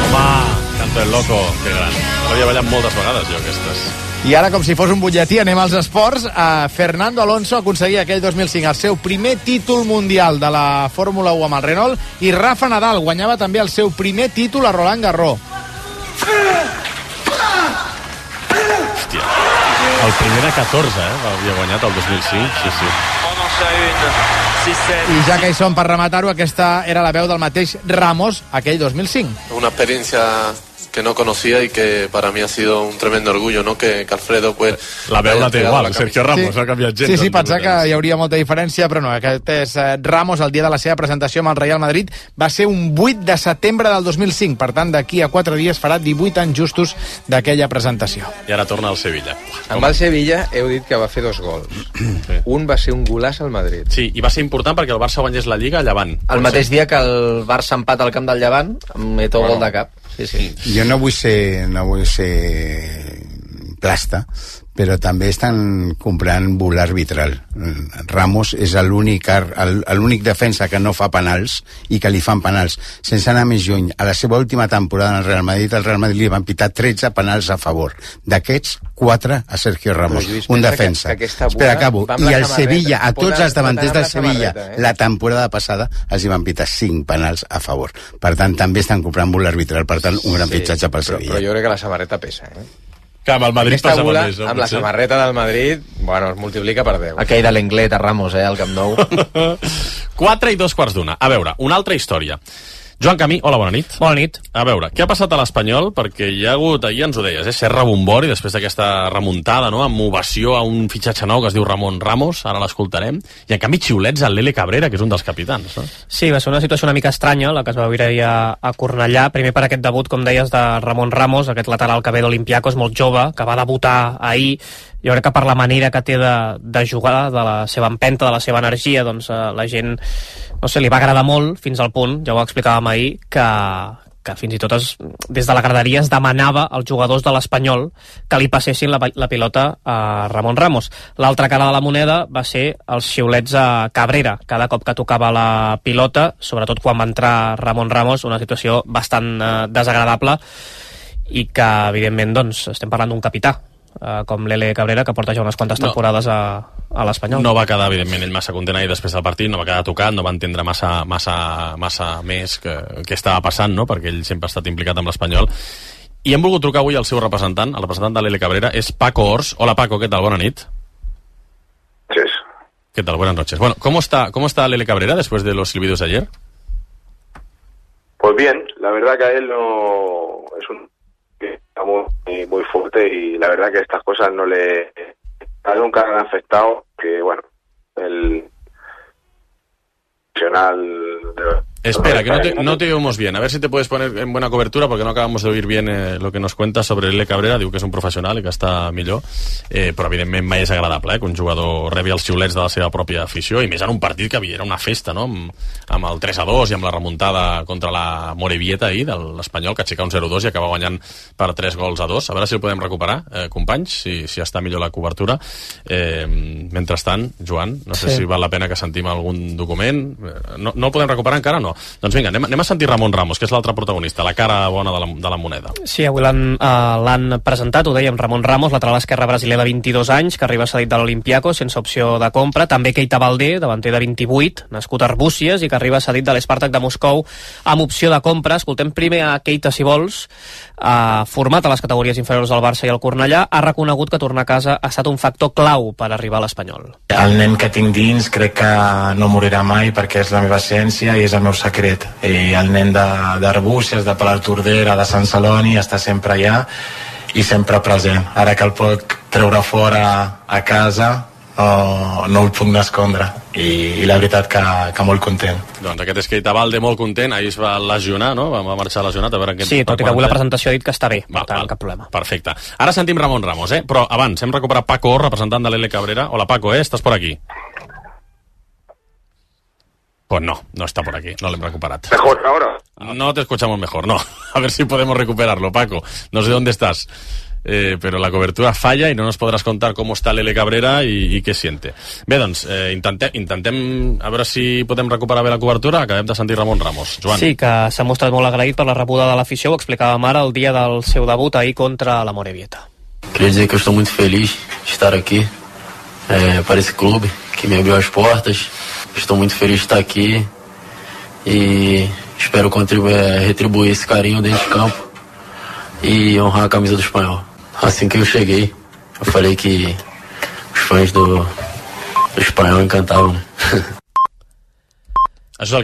Home, Canto el Loco, que gran. L'havia ballat moltes vegades, jo, aquestes. I ara, com si fos un butlletí, anem als esports. Fernando Alonso aconseguia aquell 2005 el seu primer títol mundial de la Fórmula 1 amb el Renault, i Rafa Nadal guanyava també el seu primer títol a Roland Garros. Hòstia, el primer de 14, havia guanyat el 2005, sí. I ja que hi som per rematar-ho, aquesta era la veu del mateix Ramos aquell 2005. Una experiencia que no conocía y que para mí ha sido un tremendo orgullo, ¿no? Que Alfredo, pues... La veu la té igual, Sergio Ramos, ha canviat gens. Sí, pensava que hi hauria molta diferència, però no, aquest és Ramos, el dia de la seva presentació amb el Real Madrid, va ser un 8 de setembre del 2005, per tant, d'aquí a 4 dies farà 18 anys justos d'aquella presentació. I ara torna al Sevilla. Amb el Sevilla heu dit que va fer 2 gols. Sí. Un va ser un golaç al Madrid. Sí, i va ser important perquè el Barça guanyés la Lliga a Llevant. El mateix dia que el Barça empata al camp del Llevant, amb Eto'o gol de cap. Sí. Jo no vull ser plasta, però també estan comprant bull arbitral. Ramos és l'únic defensa que no fa penals i que li fan penals. Sense anar més lluny, a la seva última temporada en el Real Madrid li van pitar 13 penals a favor. D'aquests, 4 a Sergio Ramos, un defensa. Espera, acabo. I el Sevilla, a tots els davanters del Sevilla, la temporada passada els hi van pitar 5 penals a favor. Per tant, també estan comprant bull arbitral, per tant, un gran fitxatge pel Sevilla. Però jo crec que la samarreta pesa, Que amb el Madrid passa més, amb la samarreta del Madrid, bueno, es multiplica per 10. Aquell de l'Englet a Ramos, al Camp Nou. 4:02. A veure, una altra història. Joan Camí, hola, bona nit. Bona nit. A veure, què ha passat a l'Espanyol? Perquè hi ha hagut, ahir ens ho deies, Serra Bombori, després d'aquesta remuntada, no?, amb ovació a un fitxatge nou que es diu Ramon Ramos, ara l'escoltarem, i en canvi xiulets al Lele Cabrera, que és un dels capitans, no? Sí, va ser una situació una mica estranya, la que es va viure ahir a Cornellà, primer per aquest debut, com deies, de Ramon Ramos, aquest lateral que ve d'Olympiacos, molt jove, que va debutar ahir. Jo crec que per la manera que té de jugar, de la seva empenta, de la seva energia, doncs la gent, no sé, li va agradar molt, fins al punt, ja ho explicàvem ahir, que fins i tot des de la graderia es demanava als jugadors de l'Espanyol que li passessin la pilota a Ramon Ramos. L'altra cara de la moneda va ser els xiulets a Cabrera, cada cop que tocava la pilota, sobretot quan va entrar Ramon Ramos, una situació bastant desagradable, i que, evidentment, doncs, estem parlant d'un capità, com Lele Cabrera, que porta ja unes quantes temporades a l'Espanyol. No va quedar, evidentment, ell massa content ahir després del partit, no va quedar tocat, no va entendre massa més què estava passant, no?, perquè ell sempre ha estat implicat amb l'Espanyol. I hem volgut trucar avui al seu representant, el representant de Lele Cabrera, és Paco Ors. Hola, Paco, ¿qué tal? Buena nit. Sí. ¿Qué tal? Buenas noches. Bueno, ¿cómo está Lele Cabrera después de los silbidos de ayer? Pues bien, la verdad que a él no es un muy fuerte, y la verdad que estas cosas nunca han afectado, que bueno, el profesional Espera, que no te oímos bien. A ver si te puedes poner en buena cobertura, porque no acabamos de oír bien lo que nos cuenta sobre L. Cabrera. Diu que és un professional i que està millor, però evidentment mai és agradable que un jugador rebi els xiulets de la seva pròpia afició, i més en un partit que era una festa, no? Amb el 3-2 i amb la remuntada contra la Morevieta ahir de l'Espanyol, que aixeca un 0-2 i acaba guanyant per 3-2. A veure si el podem recuperar, companys, si està millor la cobertura. Mentrestant, Joan, no sé si val la pena que sentim algun document. No el podem recuperar encara, no? Doncs vinga, anem a sentir Ramon Ramos, que és l'altre protagonista, la cara bona de la moneda. Sí, avui l'han presentat, ho dèiem, Ramon Ramos, lateral esquerre brasiler de 22 anys, que arriba cedit de l'Olympiacos sense opció de compra. També Keita Baldé, davanter de 28, nascut a Arbúcies i que arriba cedit de l'Spartak de Moscou amb opció de compra. Escoltem primer a Keita, si vols, format a les categories inferiors del Barça i el Cornellà, ha reconegut que tornar a casa ha estat un factor clau per arribar a l'Espanyol. El nen que tinc dins crec que no morirà mai perquè és la meva essència i és el meu secret. I el nen d'Arbúcies, de Palatordera, de Sant Celoni, està sempre allà i sempre present. Ara que el puc treure fora a casa, no el puc escondre, i la veritat que molt content. Doncs aquest és Keita Baldé, molt content. Ahir es va lesionar, no? Va marxar lesionat, a veure què... Sí, tot i que avui la presentació ha dit que està bé, per tant, cap problema. Perfecte. Ara sentim Ramon Ramos, però abans hem recuperat Paco, representant de l'L. Cabrera. Hola, Paco, ¿estás por aquí? Pues no está por aquí, no lo hemos recuperado. ¿Mejor ahora? No te escuchamos mejor, no. A ver si podemos recuperarlo, Paco. No sé dónde estás, pero la cobertura falla y no nos podrás contar cómo está l'L. Cabrera i què siente. Bé, doncs, intentem a veure si podem recuperar bé la cobertura. Acabem de sentir Ramon Ramos. Joan. Sí, que s'ha mostrat molt agraït per la rebuda de l'afició, ho explicàvem ara el dia del seu debut ahir contra la Morevieta. Queria dizer que eu estou muito feliz de estar aqui para esse clube que me abriu as portas. Estou muito feliz de estar aqui e espero retribuir esse carinho dentro de campo e honrar a camisa do Espanhol. Assim que eu cheguei, eu falei que os fãs do Espanhol encantavam, né? Això és el